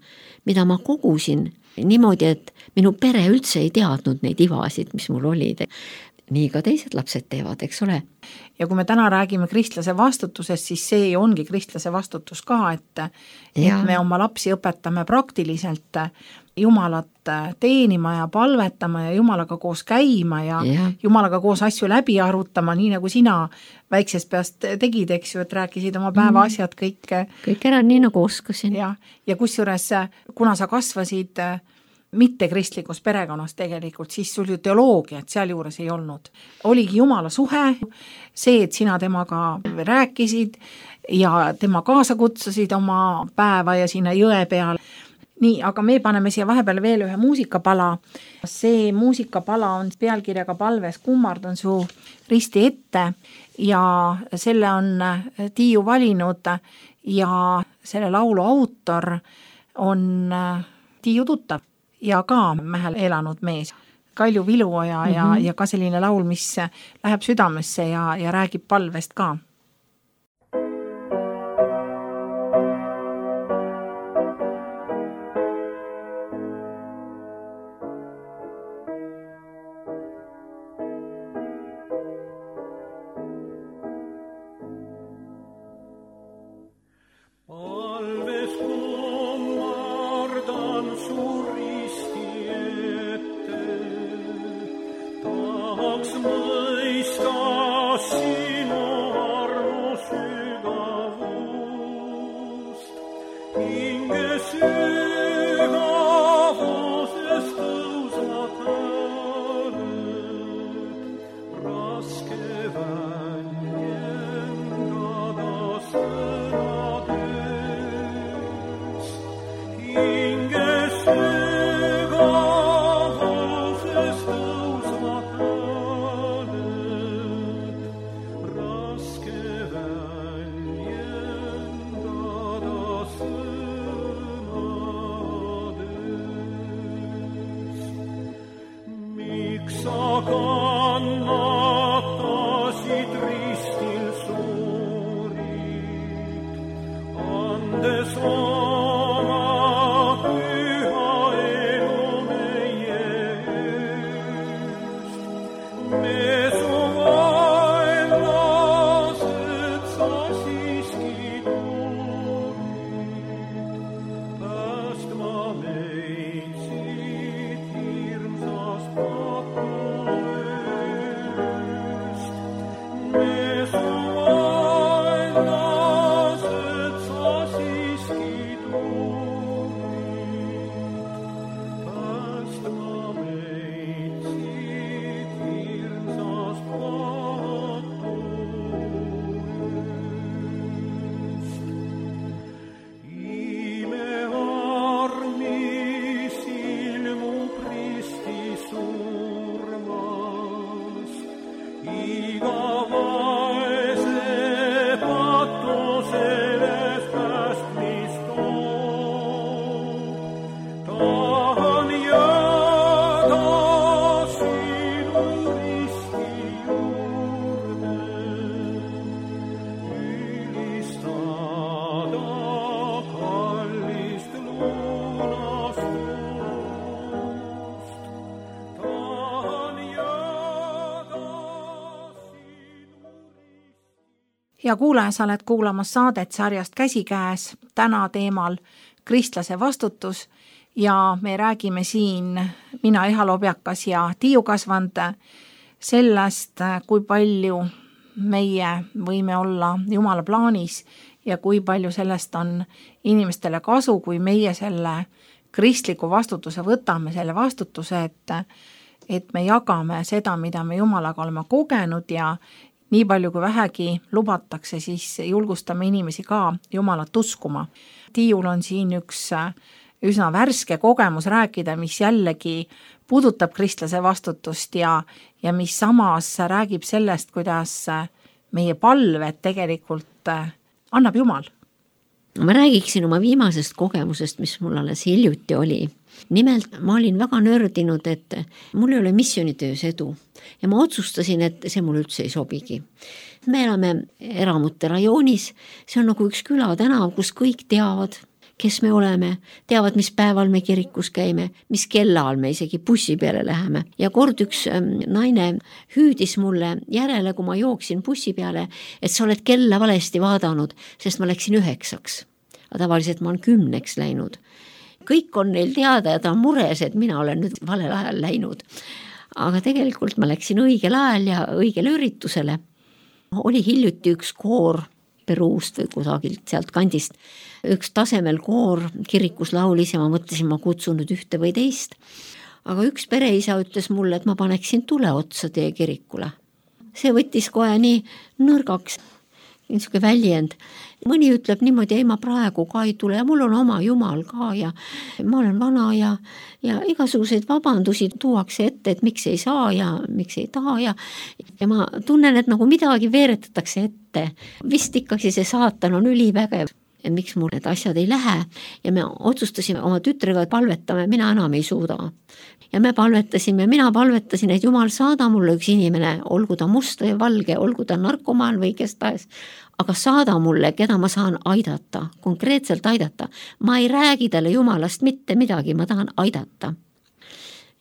mida ma kogusin niimoodi, et minu pere üldse ei teadnud neid ivasid, mis mul olid. Nii ka teised lapsed teevad, eks ole. Ja kui me täna räägime kristlase vastutusest, siis see ongi kristlase vastutus ka, et, et me oma lapsi õpetame praktiliselt Jumalat teenima ja palvetama ja Jumalaga koos käima ja, ja. Jumalaga koos asju läbi arutama, nii nagu sina väiksest peast tegid, eks ju, et rääkisid oma päeva asjad kõik. Kõik ära nii nagu oskasin. Ja, ja kusjuures, kuna sa kasvasid mitte kristlikus perekonnas tegelikult, siis sul ju teoloogiat seal juures ei olnud. Oligi Jumala suhe, see, et sina temaga rääkisid ja tema kaasa kutsusid oma päeva ja sinna jõe peal. Nii, aga me paneme siia vahepeal veel ühe muusikapala. See muusikapala on pealkirjaga Palves kummardan su risti ette ja selle on Tiiu valinud ja selle laulu autor on Tiiu tuttav ja ka Mähel elanud mees. Kalju Viluoja mm-hmm. ja, ja ka selline laul, mis läheb südamesse ja, ja räägib palvest ka. Ski hea kuulaja, sa oled kuulamas saadet sarjast Käsikäes, täna teemal kristlase vastutus ja me räägime siin, mina Eha Lobjakas ja Tiiu Kasvand, sellest, kui palju meie võime olla Jumala plaanis ja kui palju sellest on inimestele kasu, kui meie selle kristliku vastutuse võtame, selle vastutuse, et, et me jagame seda, mida me Jumalaga oleme kogenud ja nii palju kui vähegi lubatakse, siis julgustame inimesi ka Jumalat uskuma. Tiiul on siin üks üsna värske kogemus rääkida, mis jällegi puudutab kristlase vastutust ja, ja mis samas räägib sellest, kuidas meie palved tegelikult annab Jumal. Ma räägiksin oma viimasest kogemusest, mis mul alles hiljuti oli. Nimelt ma olin väga nördinud, et mul ei ole missioonitöös edu ja ma otsustasin, et see mul üldse ei sobigi. Me elame eramute rajoonis, see on nagu üks külatänav, kus kõik teavad, kes me oleme, teavad, mis päeval me kirikus käime, mis kellaal me isegi bussi peale läheme. Ja kord üks naine hüüdis mulle järele, kui ma jooksin bussi peale, et sa oled kella valesti vaadanud, sest ma läksin üheksaks. Aga tavaliselt ma olen kümneks läinud. Kõik on neil teada ja ta on mures, et mina olen nüüd valel ajal läinud. Aga tegelikult ma läksin õigel ajal ja õigele üritusele. Oli hiljuti üks koor Peruust või kusagilt sealt kandist. Üks tasemel koor kirikus laulis ja ma mõtlesin, ma kutsun nüüd ühte või teist. Aga üks pereisa ütles mulle, et ma paneksin tule otsa teie kirikule. See võttis kohe nii nõrgaks, niisugune väljend. Mõni ütleb niimoodi, ei ma praegu ka ei tule ja mul on oma Jumal ka ja ma olen vana ja, ja igasuguseid vabandusi tuuakse ette, et miks ei saa ja miks ei taha ja, ja ma tunnen, et nagu midagi veeretatakse ette. Vist ikkagi see saatan on ülivägev, et miks mul need asjad ei lähe ja me otsustasime oma tütrega, et palvetame, mina enam ei suuda. Ja me palvetasime, mina palvetasin, et Jumal saada mulle üks inimene, olgu ta must või valge, olgu ta narkomaan või kes tahes, aga saada mulle, keda ma saan aidata, konkreetselt aidata. Ma ei räägi talle Jumalast mitte midagi, ma tahan aidata.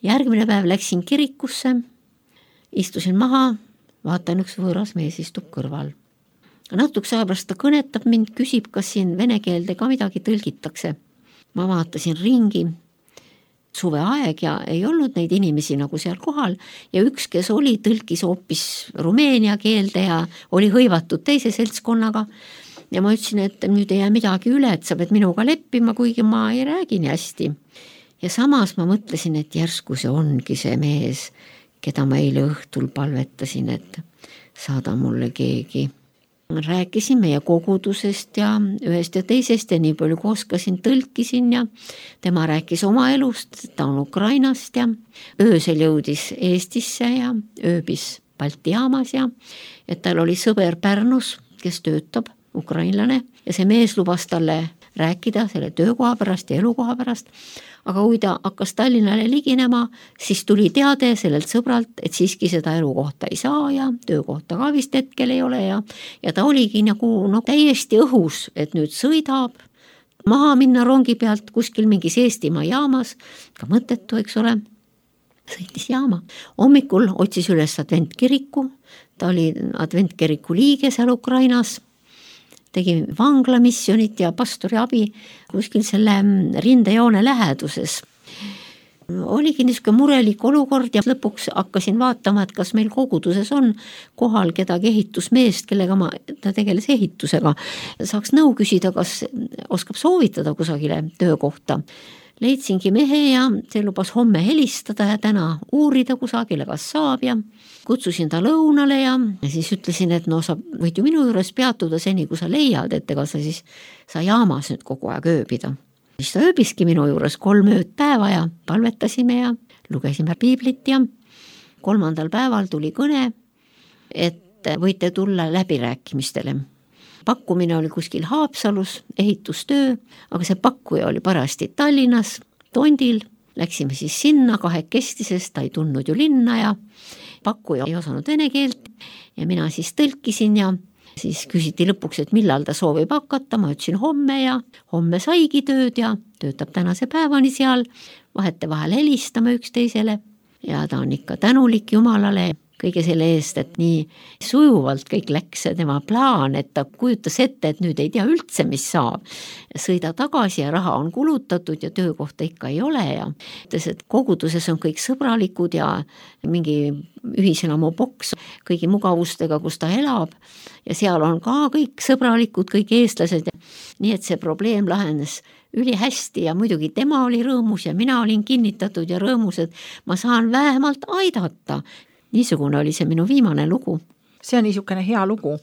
Järgmine päev läksin kirikusse, istusin maha, vaatan üks võõras mees istub kõrval. Natuks aja pärast ta kõnetab mind, küsib, kas siin vene keelde ka midagi tõlgitakse. Ma vaatasin ringi, suveaeg ja ei olnud neid inimesi nagu seal kohal ja üks, kes oli, tõlkis hoopis rumeenia keelde ja oli hõivatud teise seltskonnaga ja ma ütlesin, et nüüd ei jää midagi üle, et sa pead minuga leppima, kuigi ma ei räägi nii hästi. Ja samas ma mõtlesin, et järsku see ongi see mees, keda ma eile õhtul palvetasin, et saada mulle keegi. Rääkisin meie kogudusest ja ühest ja teisest ja nii palju kui oskasin, tõlkisin ja tema rääkis oma elust, ta on Ukrainast ja öösel jõudis Eestisse ja ööbis Balti jaamas ja et tal oli sõber Pärnus, kes töötab, ukrainlane ja see mees lubas talle rääkida selle töökoha pärast ja elukoha pärast. Aga kui ta hakkas Tallinnale liginema, siis tuli teade sellelt sõbralt, et siiski seda elukohta ei saa ja töökohta ka vist hetkel ei ole ja, ja ta oligi nagu no, täiesti õhus, et nüüd sõidab maha minna rongi pealt kuskil mingis Eestimaa jaamas, ka mõttetu, eks ole, sõitis jaama. Hommikul otsis üles adventkiriku, ta oli adventkiriku liige seal Ukrainas, tegi vanglamissionit ja pastori abi kuskil selle rindejoone läheduses. Oligi niisugune murelik olukord ja lõpuks hakkasin vaatama, et kas meil koguduses on kohal kedagi ehitusmeest, kellega ma, ta tegeles ehitusega. Saaks nõu küsida, kas oskab soovitada kusagile töökohta. Leidsingi mehe ja see lubas homme helistada ja täna uurida kusagile, kas saab ja kutsusin ta lõunale ja siis ütlesin, et no sa võid ju minu juures peatuda seni, kui sa leiad, et ega sa siis sa jaamas nüüd kogu aeg ööbida. Siis ta ööbiski minu juures kolm ööd päeva ja palvetasime ja lugesime piiblit ja kolmandal päeval tuli kõne, et võite tulla läbirääkimistele. Pakkumine oli kuskil Haapsalus, ehitustöö, aga see pakkuja oli parasti Tallinnas, Tondil. Läksime siis sinna kahekesti, sest ta ei tundnud ju linna ja pakkuja ei osanud vene keelt ja mina siis tõlkisin ja siis küsiti lõpuks, et millal ta soovib hakata, ma ütlesin homme ja homme saigi tööd ja töötab tänase päevani seal, vahete vahel helistame üksteisele ja ta on ikka tänulik Jumalale kõige selle eest, et nii sujuvalt kõik läks tema plaan, et ta kujutas ette, et nüüd ei tea üldse, mis saab. Sõida tagasi ja raha on kulutatud ja töökohta ikka ei ole ja ütles, et koguduses on kõik sõbralikud ja mingi ühiselamu boks kõigi mugavustega, kus ta elab ja seal on ka kõik sõbralikud, kõik eestlased. Nii et see probleem lahenes üli hästi ja muidugi tema oli rõõmus ja mina olin kinnitatud ja rõõmus, et ma saan vähemalt aidata. Niisugune oli see minu viimane lugu. See on niisugune hea lugu.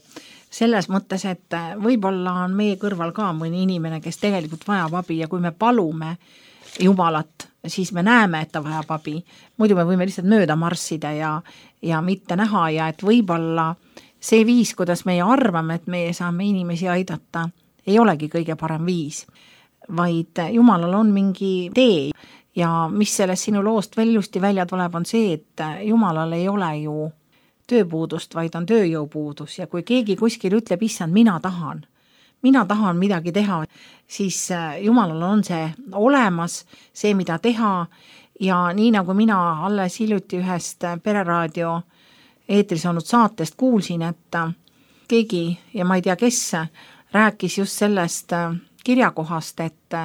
Selles mõttes, et võib-olla on meie kõrval ka mõni inimene, kes tegelikult vajab abi ja kui me palume Jumalat, siis me näeme, et ta vajab abi. Muidu me võime lihtsalt mööda marssida ja, ja mitte näha ja et võib-olla see viis, kuidas meie arvame, et meie saame inimesi aidata, ei olegi kõige parem viis, vaid Jumalal on mingi tee ja mis sellest sinu loost veel ilusti välja tuleb, on see, et Jumalal ei ole ju tööpuudust, vaid on tööjõupuudus ja kui keegi kuskil ütleb, issand, mina tahan, mina tahan midagi teha, siis Jumalal on see olemas, see, mida teha ja nii nagu mina alles hiljuti ühest Pereraadio eetris olnud saatest kuulsin, et keegi ja ma ei tea, kes rääkis just sellest kirjakohast, et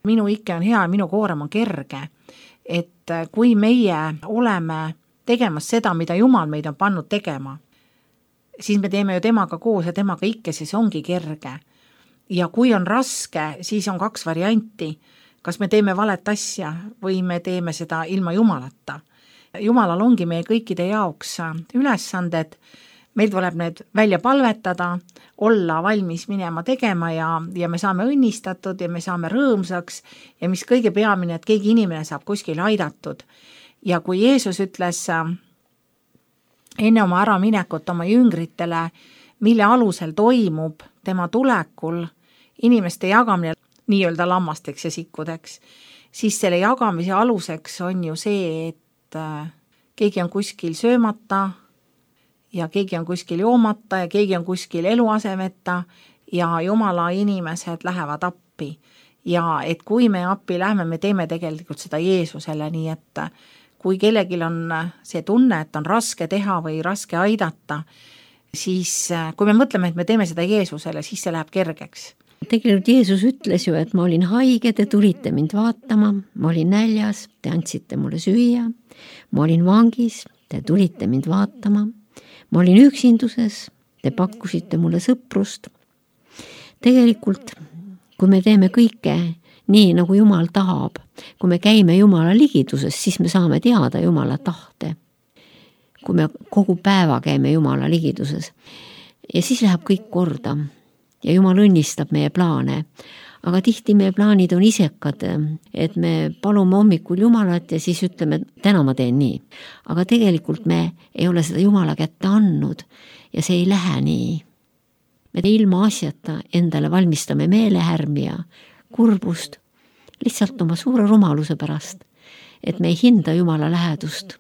minu ikke on hea ja minu koorem on kerge, et kui meie oleme tegemas seda, mida Jumal meid on pannud tegema, siis me teeme ju temaga koos ja temaga ikke, siis ongi kerge. Ja kui on raske, siis on kaks varianti, kas me teeme valet asja või me teeme seda ilma Jumalata. Jumalal ongi meie kõikide jaoks ülesanded, meil tuleb need välja palvetada, olla valmis minema tegema ja, ja me saame õnnistatud ja me saame rõõmsaks ja mis kõige peamine, et keegi inimene saab kuskil aidatud. Ja kui Jeesus ütles enne oma äraminekut oma jüngritele, mille alusel toimub tema tulekul inimeste jagamine nii-öelda lammasteks ja sikkudeks, siis selle jagamise aluseks on ju see, et keegi on kuskil söömata ja keegi on kuskil joomata ja keegi on kuskil eluasemeta ja Jumala inimesed lähevad appi. Ja et kui me appi lähme, me teeme tegelikult seda Jeesusele, nii et kui kellelgi on see tunne, et on raske teha või raske aidata, siis kui me mõtleme, et me teeme seda Jeesusele, siis see läheb kergeks. Tegelikult Jeesus ütles ju, et ma olin haige, te tulite mind vaatama, ma olin näljas, te andsite mulle süüa, ma olin vangis, te tulite mind vaatama, ma olin üksinduses, te pakkusite mulle sõprust. Tegelikult, kui me teeme kõike nii, nagu Jumal tahab, kui me käime Jumala ligiduses, siis me saame teada Jumala tahte. Kui me kogu päeva käime Jumala ligiduses. Ja siis läheb kõik korda ja Jumal õnnistab meie plaane. Aga tihti meie plaanid on isekad, et me palume hommikul Jumalat ja siis ütleme, täna ma teen nii. Aga tegelikult me ei ole seda Jumala kätte andnud ja see ei lähe nii. Me ilma asjata endale valmistame meelehärmi ja kurbust lihtsalt oma suure rumaluse pärast, et me ei hinda Jumala lähedust.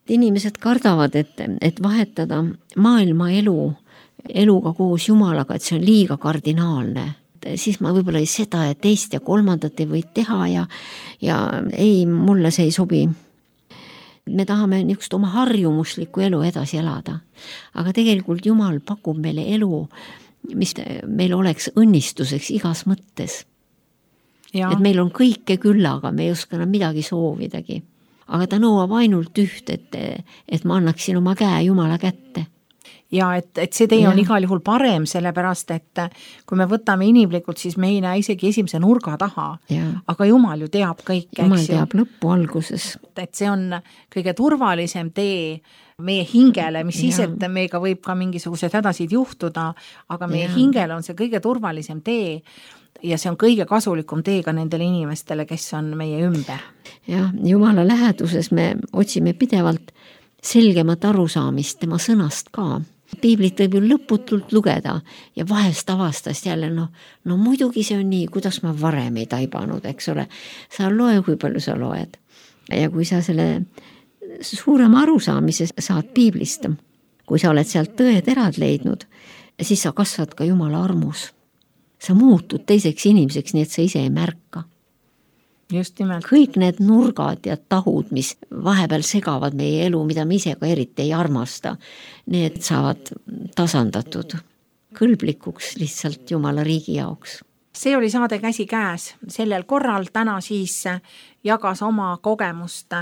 Inimesed kardavad, et, et vahetada maailma elu, eluga koos Jumalaga, et see on liiga kardinaalne. Siis ma võib-olla ei seda ja teist ja kolmandat ei või teha ja, ja ei, mulle see ei sobi. Me tahame niisugust oma harjumuslikku elu edasi elada, aga tegelikult Jumal pakub meile elu, mis meil oleks õnnistuseks igas mõttes. Ja. Et meil on kõike külla, aga me ei oska enam midagi soovidagi. Aga ta nõuab ainult üht, et, et ma annaksin oma käe Jumala kätte. Ja et, et see tee on ja. Igal juhul parem, sellepärast, et kui me võtame inimlikult, siis me ei näe isegi esimese nurga taha. Ja. Aga Jumal ju teab kõike. Jumal teab lõppu alguses. Et see on kõige turvalisem tee meie hingele, mis siis, et meiega võib ka mingisugused hädasid juhtuda, aga meie ja. Hingele on see kõige turvalisem tee ja see on kõige kasulikum tee ka nendele inimestele, kes on meie ümber. Ja, Jumala läheduses me otsime pidevalt selgemat arusaamist tema sõnast ka. Piiblit võib ju lõputult lugeda ja vahest avastast jälle, no, no muidugi see on nii, kuidas ma varem ei taibanud, eks ole. Sa loe, kui palju sa loed. Ja kui sa selle suurema arusaamise saad Piiblist, kui sa oled sealt tõed erad leidnud, siis sa kasvad ka Jumala armus. Sa muutud teiseks inimeseks, nii et sa ise ei märka. just nimelt. kõik need nurgad ja tahud, mis vahepeal segavad meie elu, mida me ise ka eriti ei armasta, need saavad tasandatud kõlblikuks lihtsalt Jumala riigi jaoks. See oli saade Käsikäes. Sellel korral täna siis jagas oma kogemust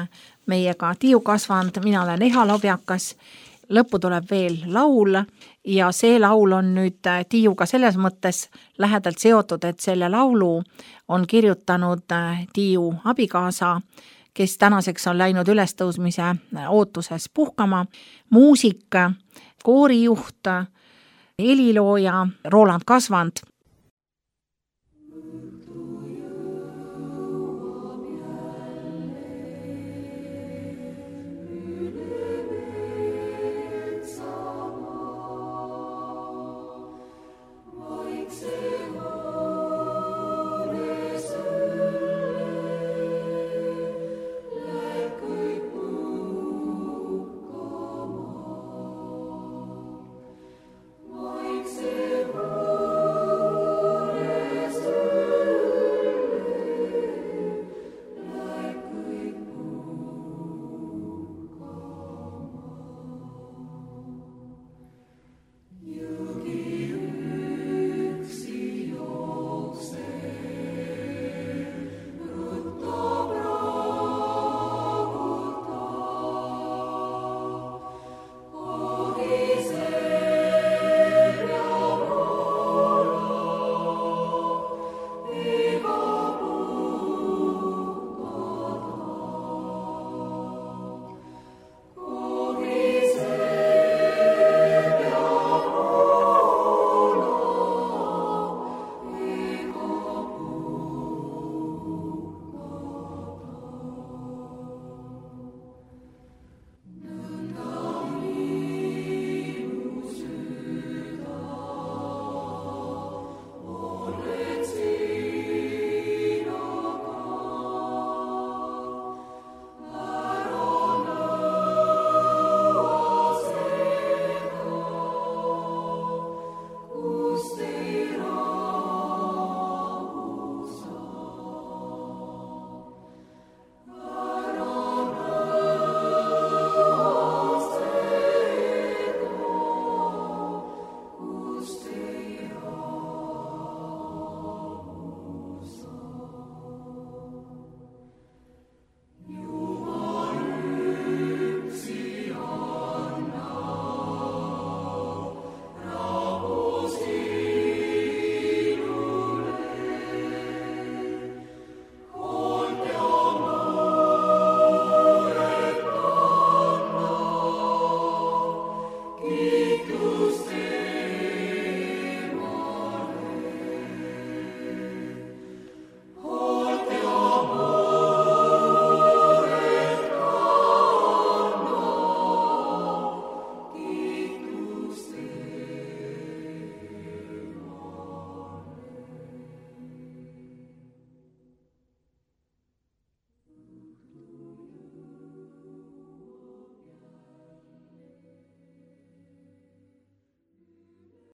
meiega Tiiu Kasvand, mina olen Eha Lobjakas. Lõppu tuleb veel laul ja see laul on nüüd Tiiuga selles mõttes lähedalt seotud, et selle laulu on kirjutanud Tiiu abikaasa, kes tänaseks on läinud ülestõusmise ootuses puhkama, muusik, koorijuht, helilooja Roland Kasvand